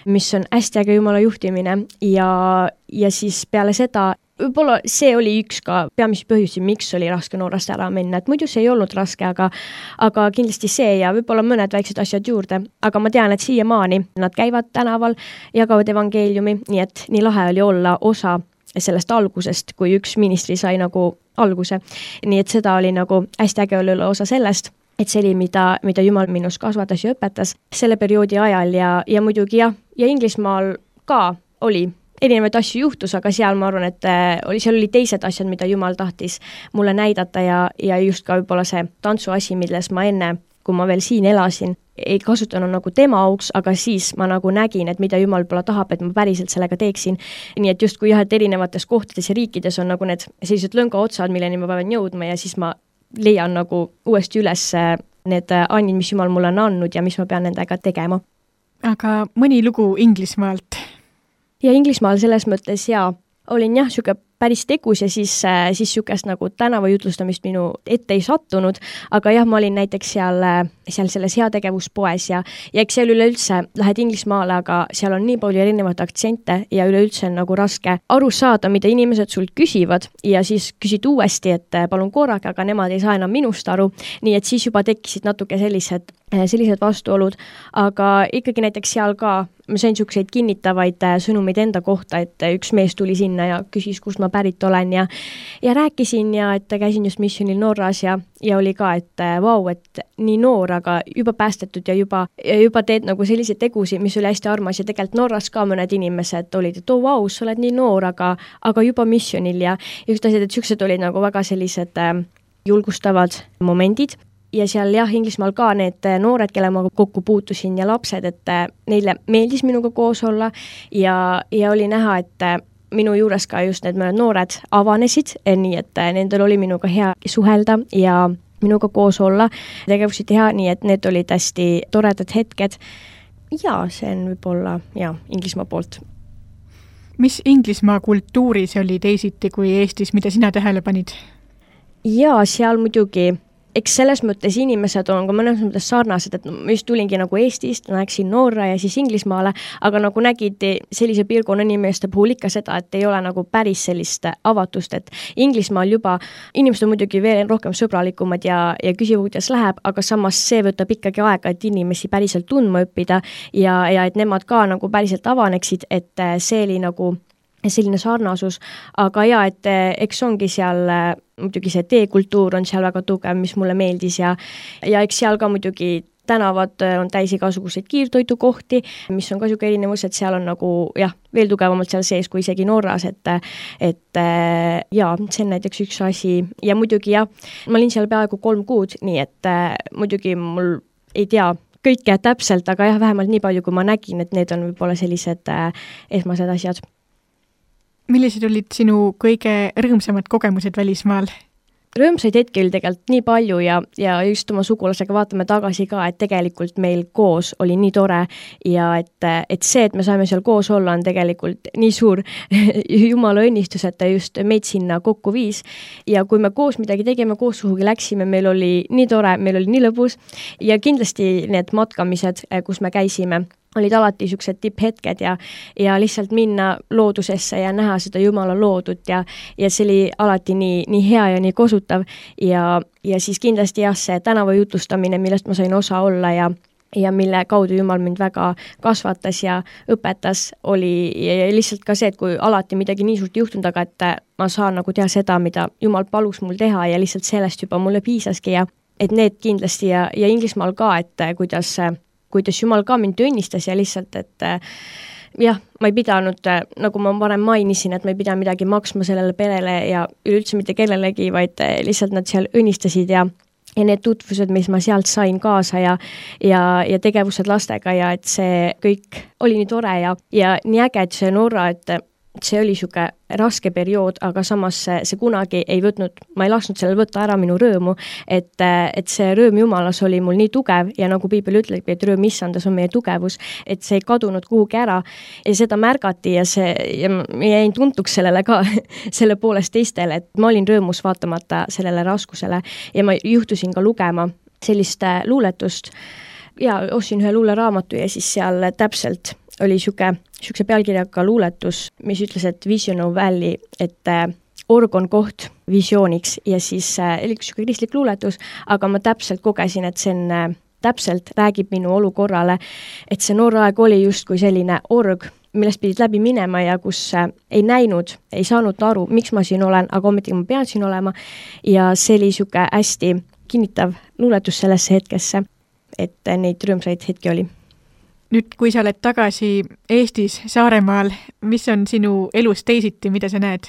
mis on hästi äge Jumala juhtimine ja siis peale seda võib-olla see oli üks ka peamisi põhjusi, miks oli raske Norrast ära minna, et muidu see ei olnud raske, aga kindlasti see ja võib-olla mõned väiksed asjad juurde, aga ma tean, et siiamaani nad käivad tänaval, jagavad evangeeliumi, nii et nii lahe oli olla osa sellest algusest, kui üks ministri sai nagu alguse. Nii et seda oli nagu hästi äge olla osa sellest, et see oli, mida Jumal minus kasvatas ja õpetas selle perioodi ajal ja muidugi ja Inglismaal ka oli erinevaid asju juhtus, aga seal ma arvan, et seal oli teised asjad, mida Jumal tahtis mulle näidata ja just ka võib-olla see tantsuasi, milles ma enne, kui ma veel siin elasin, ei kasutanud nagu tema auks, aga siis ma nagu nägin, et mida Jumal võib-olla tahab, et ma päriselt sellega teeksin. Nii et just kui et erinevates kohtades ja riikides on nagu need sellised lõngaotsad, milleni ma pean jõudma ja siis ma leian nagu uuesti üles need annid, mis Jumal mulle on andnud ja mis ma pean nendega tegema. Aga mõni lugu Inglismaalt? Ja Inglismaal selles mõttes olin siuke päris tegus ja siis siukest nagu tänavajutlustamist minu ette ei sattunud, aga ma olin näiteks seal selles heategevuspoes ja eks seal üleüldse lähed Inglismaale, aga seal on nii palju erinevaid aktsente ja üleüldse on nagu raske aru saada, mida inimesed sult küsivad ja siis küsid uuesti, et palun korraga, aga nemad ei saa enam minust aru, nii et siis juba tekkisid natuke sellised vastuolud, aga ikkagi näiteks seal ka ma sain siukseid kinnitavaid sõnumeid enda kohta, et üks mees tuli sinna ja küsis, kust ma pärit olen ja rääkisin ja et käisin just missionil Norras ja oli ka, et vau, et nii noor, aga juba päästetud ja juba teed nagu selliseid tegusid, mis oli hästi armas ja tegelikult Norras ka mõned inimesed olid, et vau, sa oled nii noor, aga juba missionil ja just asjad, et siuksed olid nagu väga sellised julgustavad momendid. Ja seal Inglismaal ka need noored, kelle ma kokku puutusin ja lapsed, et neile meeldis minuga koos olla ja oli näha, et minu juures ka just need mõned noored avanesid, nii et nendel oli minuga hea suhelda ja minuga koos olla, tegevusi teha, nii et need olid hästi toredad hetked. Ja see on võib-olla Inglismaa poolt. Mis Inglismaa kultuuris oli teisiti kui Eestis, mida sina tähele panid? Ja seal muidugi eks selles mõttes inimesed on ka mõnes mõttes sarnased, et ma just tulingi nagu Eestist, näeksin Norra ja siis Inglismaale, aga nagu nägid sellise piirkonna inimeste puhul ikka seda, et ei ole nagu päris sellist avatust, et Inglismaal juba inimesed on muidugi veel rohkem sõbralikumad ja küsivad, kuidas läheb, aga samas see võtab ikkagi aega, et inimesi päriselt tundma õppida ja et nemad ka nagu päriselt avaneksid, et see oli nagu selline sarnasus, aga et eks ongi seal muidugi see teekultuur on seal väga tugev, mis mulle meeldis ja eks seal ka muidugi tänavad on täis igasuguseid kiirtoitukohti, mis on ka siuke erinevus, et seal on nagu veel tugevamalt seal sees kui isegi Norras, et see on näiteks üks asi ja muidugi ma olin seal peaaegu 3 kuud, nii et muidugi mul ei tea kõike täpselt, aga vähemalt nii palju, kui ma nägin, et need on võib-olla sellised esmased asjad. Millised olid sinu kõige rõõmsamad kogemused välismaal? Rõõmsaid hetki oli tegelikult nii palju ja just oma sugulasega vaatame tagasi ka, et tegelikult meil koos oli nii tore ja et see, et me saime seal koos olla, on tegelikult nii suur Jumala õnnistus, et ta just meid sinna kokku viis ja kui me koos midagi tegime, koos kuhugi läksime, meil oli nii tore, meil oli nii lõbus ja kindlasti need matkamised, kus me käisime, olid alati siuksed tipphetked ja lihtsalt minna loodusesse ja näha seda Jumala loodut ja see oli alati nii hea ja nii kosutav ja siis kindlasti see tänavajutlustamine, millest ma sain osa olla ja mille kaudu Jumal mind väga kasvatas ja õpetas, oli ja lihtsalt ka see, et kui alati midagi nii suurt juhtunud, aga et ma saan nagu teha seda, mida Jumal palus mul teha ja lihtsalt sellest juba mulle piisaski ja et need kindlasti ja Inglismaal ka, et kuidas Jumal ka mind õnnistas ja lihtsalt, et ma ei pidanud, nagu ma varem mainisin, et ma ei pidanud midagi maksma sellele perele ja üleüldse mitte kellelegi, vaid lihtsalt nad seal õnnistasid ja need tutvused, mis ma sealt sain kaasa ja tegevused lastega ja et see kõik oli nii tore ja nii äge, et see Norra, et see oli niisugune raske periood, aga samas see kunagi ei võtnud, ma ei lasknud sellel võtta ära minu rõõmu, et see rõõm Jumalas oli mul nii tugev ja nagu piibel ütleb, et rõõm issandas on meie tugevus, et see ei kadunud kuhugi ära ja seda märgati ja ma jäin tuntuks sellele ka, selle poolest teistele, et ma olin rõõmus vaatamata sellele raskusele ja ma juhtusin ka lugema sellist luuletust ja ostsin ühe luuleraamatu ja siis seal täpselt oli niisuguse pealkirjaga luuletus, mis ütles, et Vision of Valley, et org on koht visiooniks ja siis oli niisugune kristlik luuletus, aga ma täpselt kogesin, et see on täpselt räägib minu olukorrale, et see noor aeg oli justkui selline org, millest pidid läbi minema ja kus ei näinud, ei saanud aru, miks ma siin olen, aga ometigi ma pean siin olema ja see oli niisugune hästi kinnitav luuletus sellesse hetkesse, et neid rõõmsaid hetki oli. Nüüd, kui sa oled tagasi Eestis, Saaremaal, mis on sinu elus teisiti, mida sa näed?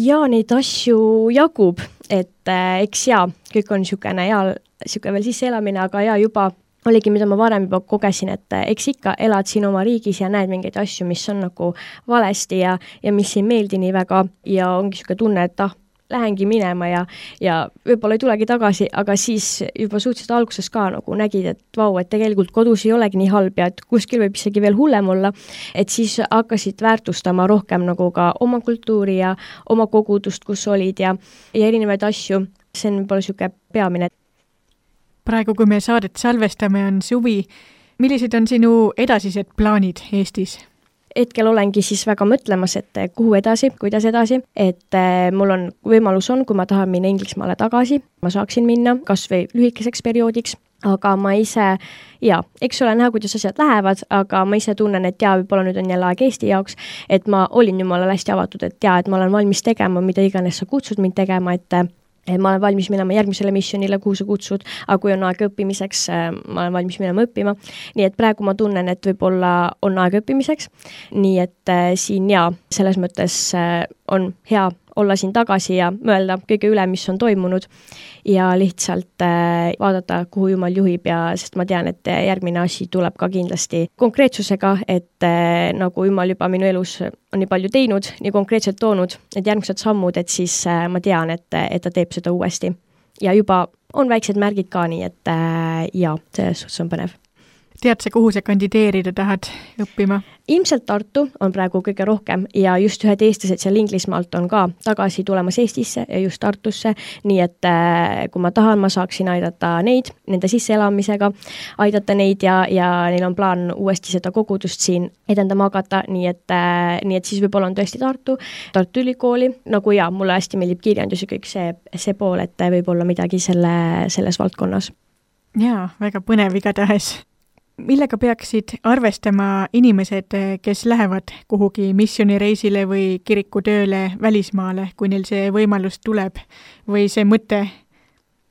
Ja neid asju jagub, et eks kõik on niisugune veel sisse elamine, aga juba oligi, mida ma varem juba kogesin, et eks ikka elad siin oma riigis ja näed mingeid asju, mis on nagu valesti ja mis ei meeldi nii väga ja ongi niisugune tunne, et lähengi minema ja võib-olla ei tulegi tagasi, aga siis juba suhteliselt alguses ka nagu nägid, et vau, et tegelikult kodus ei olegi nii halb ja et kuskil võib isegi veel hullem olla, et siis hakkasid väärtustama rohkem nagu ka oma kultuuri ja oma kogudust, kus olid ja erinevaid asju. See on võib-olla niisugune peamine. Praegu, kui me saadet salvestame, on suvi. Millised on sinu edasised plaanid Eestis? Hetkel olengi siis väga mõtlemas, et kuhu edasi, kuidas edasi, et mul on võimalus kui ma tahan minna Inglismaale tagasi, ma saaksin minna kas või lühikeseks perioodiks, aga ma ise, eks ole näha, kuidas asjad lähevad, aga ma ise tunnen, et võib-olla nüüd on jälle aeg Eesti jaoks, et ma olin jumalale hästi avatud, et ma olen valmis tegema, mida iganes sa kutsud mind tegema, et ma olen valmis minema järgmisele missionile, kuhu sa kutsud, aga kui on aeg õppimiseks, ma olen valmis minema õppima. Nii et praegu ma tunnen, et võib-olla on aeg õppimiseks. Nii et siin selles mõttes on hea olla siin tagasi ja mõelda kõige üle, mis on toimunud ja lihtsalt vaadata, kuhu Jumal juhib sest ma tean, et järgmine asi tuleb ka kindlasti konkreetsusega, et nagu Jumal juba minu elus on nii palju teinud, nii konkreetselt toonud, et järgmised sammud, et siis ma tean, et ta teeb seda uuesti. Ja juba on väiksed märgid ka nii, et selles suhtes on põnev. Tead sa, kuhu sa kandideerida tahad õppima? Ilmselt Tartu on praegu kõige rohkem ja just ühed eestlased seal Inglismaalt on ka tagasi tulemas Eestisse ja just Tartusse, nii et kui ma tahan, ma saaksin aidata neid, nende sisseelamisega, aidata neid ja neil on plaan uuesti seda kogudust siin edendama hakata, nii et siis võib-olla on tõesti Tartu ülikooli, nagu mulle hästi meeldib kirjandus ja kõik see pool, et võib-olla midagi selles valdkonnas. Jaa, väga põnev igatahes. Millega peaksid arvestama inimesed, kes lähevad kuhugi missionireisile või kirikutööle välismaale, kui neil see võimalus tuleb või see mõte?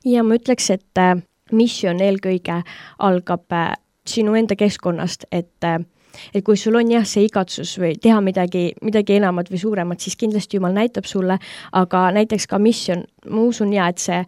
Ja ma ütleks, et missioon eelkõige algab sinu enda keskkonnast, et kui sul on see igatsus või teha midagi enamat või suuremat, siis kindlasti Jumal näitab sulle, aga näiteks ka missioon, ma usun et see,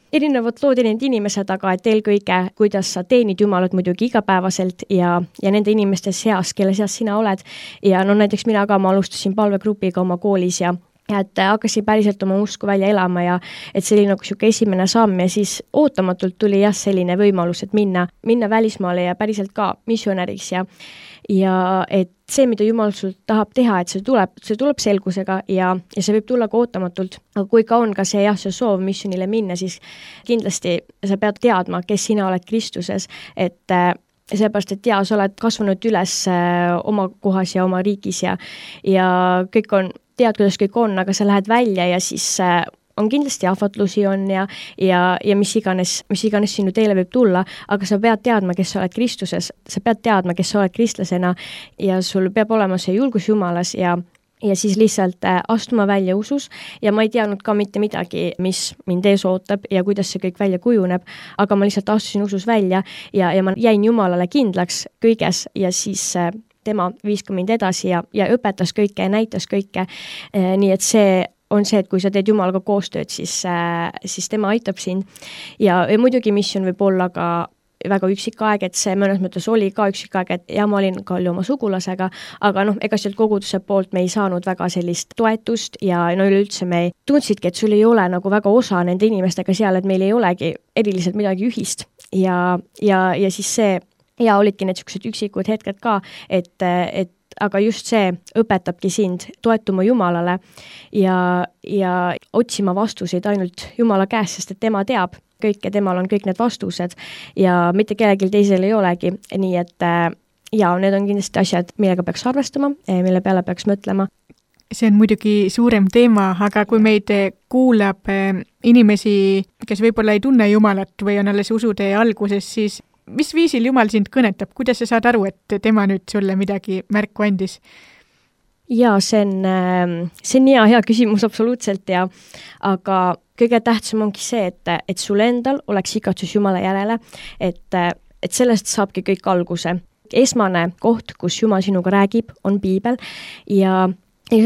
erinevad lood, erinevad inimesed, aga et eelkõige, kuidas sa teenid Jumalat muidugi igapäevaselt ja nende inimeste seas, kelle seas sina oled. Ja näiteks mina ka, ma alustasin palvegrupiga oma koolis ja et hakkasin päriselt oma usku välja elama ja et see oli nagu niisugune esimene samm ja siis ootamatult tuli selline võimalus, et minna välismaale ja päriselt ka missionäriks ja et see, mida Jumal sul tahab teha, et see tuleb selgusega ja see võib tulla ka ootamatult. Aga kui ka on ka see soov missionile minna, siis kindlasti sa pead teadma, kes sina oled Kristuses, et seepärast, et sa oled kasvanud üles oma kohas ja oma riigis ja kõik tead, kuidas kõik on, aga sa lähed välja ja siis on kindlasti ahvatlusi on ja mis iganes sinu teele võib tulla, aga sa pead teadma, kes sa oled Kristuses, sa pead teadma, kes sa oled kristlasena ja sul peab olema see julgus Jumalas ja siis lihtsalt astuma välja usus ja ma ei teadnud ka mitte midagi, mis mind ees ootab ja kuidas see kõik välja kujuneb, aga ma lihtsalt astusin usus välja ja ma jäin Jumalale kindlaks kõiges ja siis tema viis ka mind edasi ja õpetas kõike ja näitas kõike, nii et see on see, et kui sa teed Jumalaga koostööd, siis tema aitab sind ja muidugi missioon võib olla ka väga üksik aeg, et see mõnes mõttes oli ka üksik aeg, et ja ma olin ka oma sugulasega, aga ega sealt koguduse poolt me ei saanud väga sellist toetust ja üleüldse me tundsidki, et sul ei ole nagu väga osa nende inimestega seal, et meil ei olegi eriliselt midagi ühist ja siis see ja olidki need niisugused üksikud hetked ka, et aga just see õpetabki sind toetuma Jumalale ja otsima vastuseid ainult Jumala käest, sest et tema teab kõike, temal on kõik need vastused ja mitte kellelgi teisel ei olegi, nii et need on kindlasti asjad, millega peaks arvestama, mille peale peaks mõtlema. See on muidugi suurem teema, aga kui meid kuulab inimesi, kes võib-olla ei tunne Jumalat või on alles usutee alguses, siis mis viisil Jumal sind kõnetab? Kuidas sa saad aru, et tema nüüd sulle midagi märku andis? Jaa, see on hea küsimus absoluutselt aga kõige tähtsam ongi see, et sul endal oleks igatsus Jumala järele, et sellest saabki kõik alguse. Esmane koht, kus Jumal sinuga räägib, on piibel ja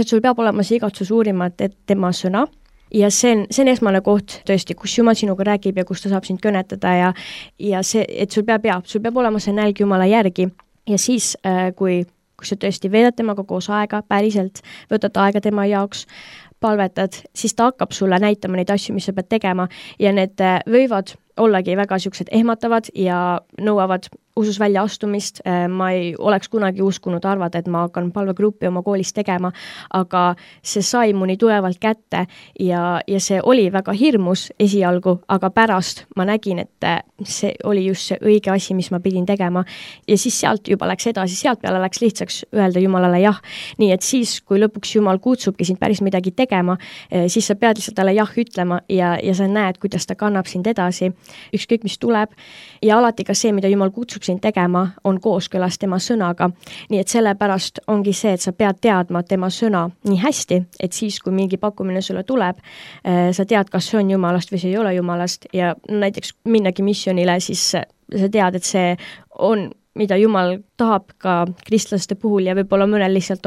sul peab olema see igatsus uurima, et tema sõna ja see on esmane koht tõesti, kus Jumal sinuga räägib ja kus ta saab sind kõnetada ja see, et sul peab olema see nälg Jumala järgi ja siis, kui sa tõesti veedad temaga koos aega, päriselt võtad aega tema jaoks, palvetad, siis ta hakkab sulle näitama neid asju, mis sa pead tegema ja need võivad ollagi väga niisugused ehmatavad ja nõuavad usus välja astumist. Ma ei oleks kunagi uskunud arvada, et ma hakkan palvegruppi oma koolis tegema, aga see sai mu nii tulevalt kätte ja see oli väga hirmus esialgu, aga pärast ma nägin, et see oli just see õige asi, mis ma pidin tegema ja siis sealt juba läks edasi, sealt peale läks lihtsaks öelda Jumalale jah. Nii et siis, kui lõpuks Jumal kutsubki sind päris midagi tegema, siis sa pead lihtsalt talle jah ütlema ja sa näed, kuidas ta kannab sind edasi, ükskõik mis tuleb ja alati ka see, mida Jumal kutsub sind tegema, on kooskõlas tema sõnaga. Nii et sellepärast ongi see, et sa pead teadma tema sõna nii hästi, et siis, kui mingi pakkumine sulle tuleb, sa tead, kas see on Jumalast või see ei ole Jumalast ja näiteks minnagi missionile, siis sa tead, et see on mida Jumal tahab ka kristlaste puhul ja võib-olla mõnel lihtsalt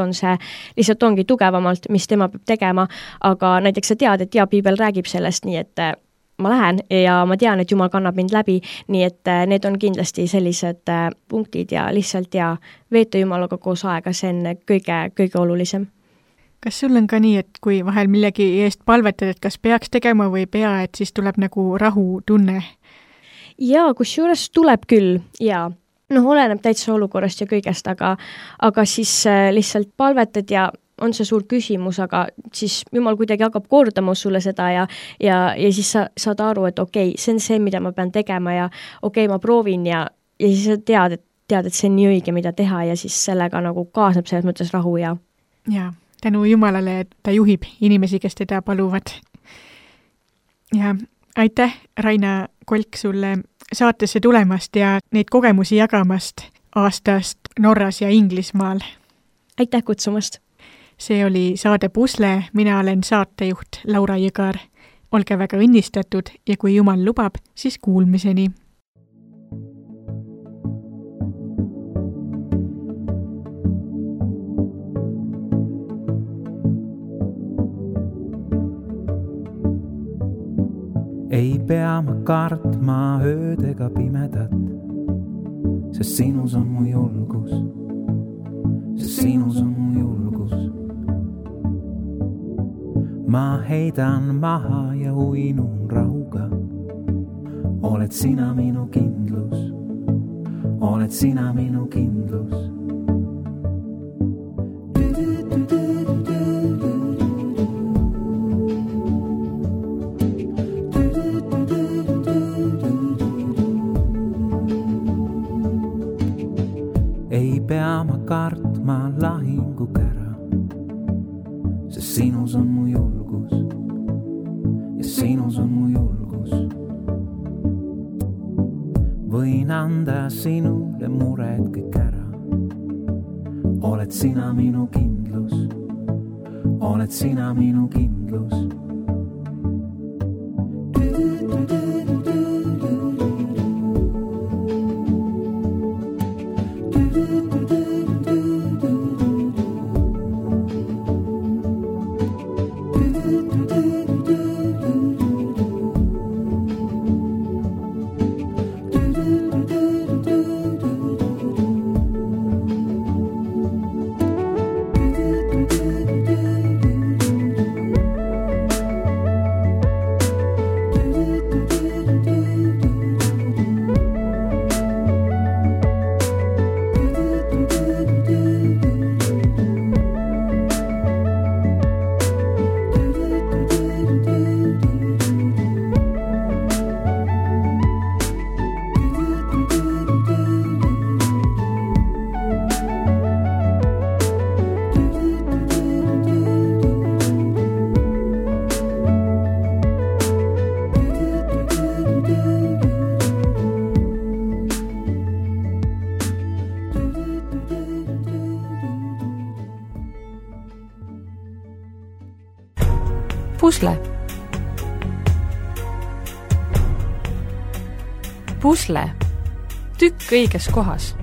ongi tugevamalt, mis tema peab tegema, aga näiteks sa tead, et piibel räägib sellest, nii et ma lähen ja ma tean, et Jumal kannab mind läbi, nii et need on kindlasti sellised punktid ja lihtsalt veeta Jumalaga koos aega, see on kõige olulisem. Kas sul on ka nii, et kui vahel millegi eest palvetad, et kas peaks tegema või ei pea, et siis tuleb nagu rahutunne? Jaa, kusjuures tuleb küll, oleneb täitsa olukorrast ja kõigest, aga siis lihtsalt palvetad ja on see suur küsimus, aga siis Jumal kuidagi hakkab kordama sulle seda ja siis sa saad aru, et okei, see on see, mida ma pean tegema ja okei, ma proovin ja siis sa tead, et see on nii õige, mida teha ja siis sellega nagu kaasneb selles mõttes rahu ja tänu Jumalale, et ta juhib inimesi, kes teda paluvad. Ja aitäh, Raina Kolk, sulle saatesse tulemast ja neid kogemusi jagamast aastast Norras ja Inglismaal. Aitäh kutsumast! See oli saade Pusle, mina olen saatejuht Laura Jõgar. Olge väga õnnistatud ja kui Jumal lubab, siis kuulmiseni. Ei pea ma kartma ööd ega pimedat, sest sinus on mu julgus, sest sinus on mu julgus. Ma heidan maha ja uinun rahuga, oled sina minu kindlus, oled sina minu kindlus. Ei pea ma kartma lahingukära, sest sinus on mu julgus ja sinus on mu julgus. Võin anda sinule mured kõik ära, oled sina minu kindlus, oled sina minu kindlus. pusle. Pusle. Tükk õiges kohas.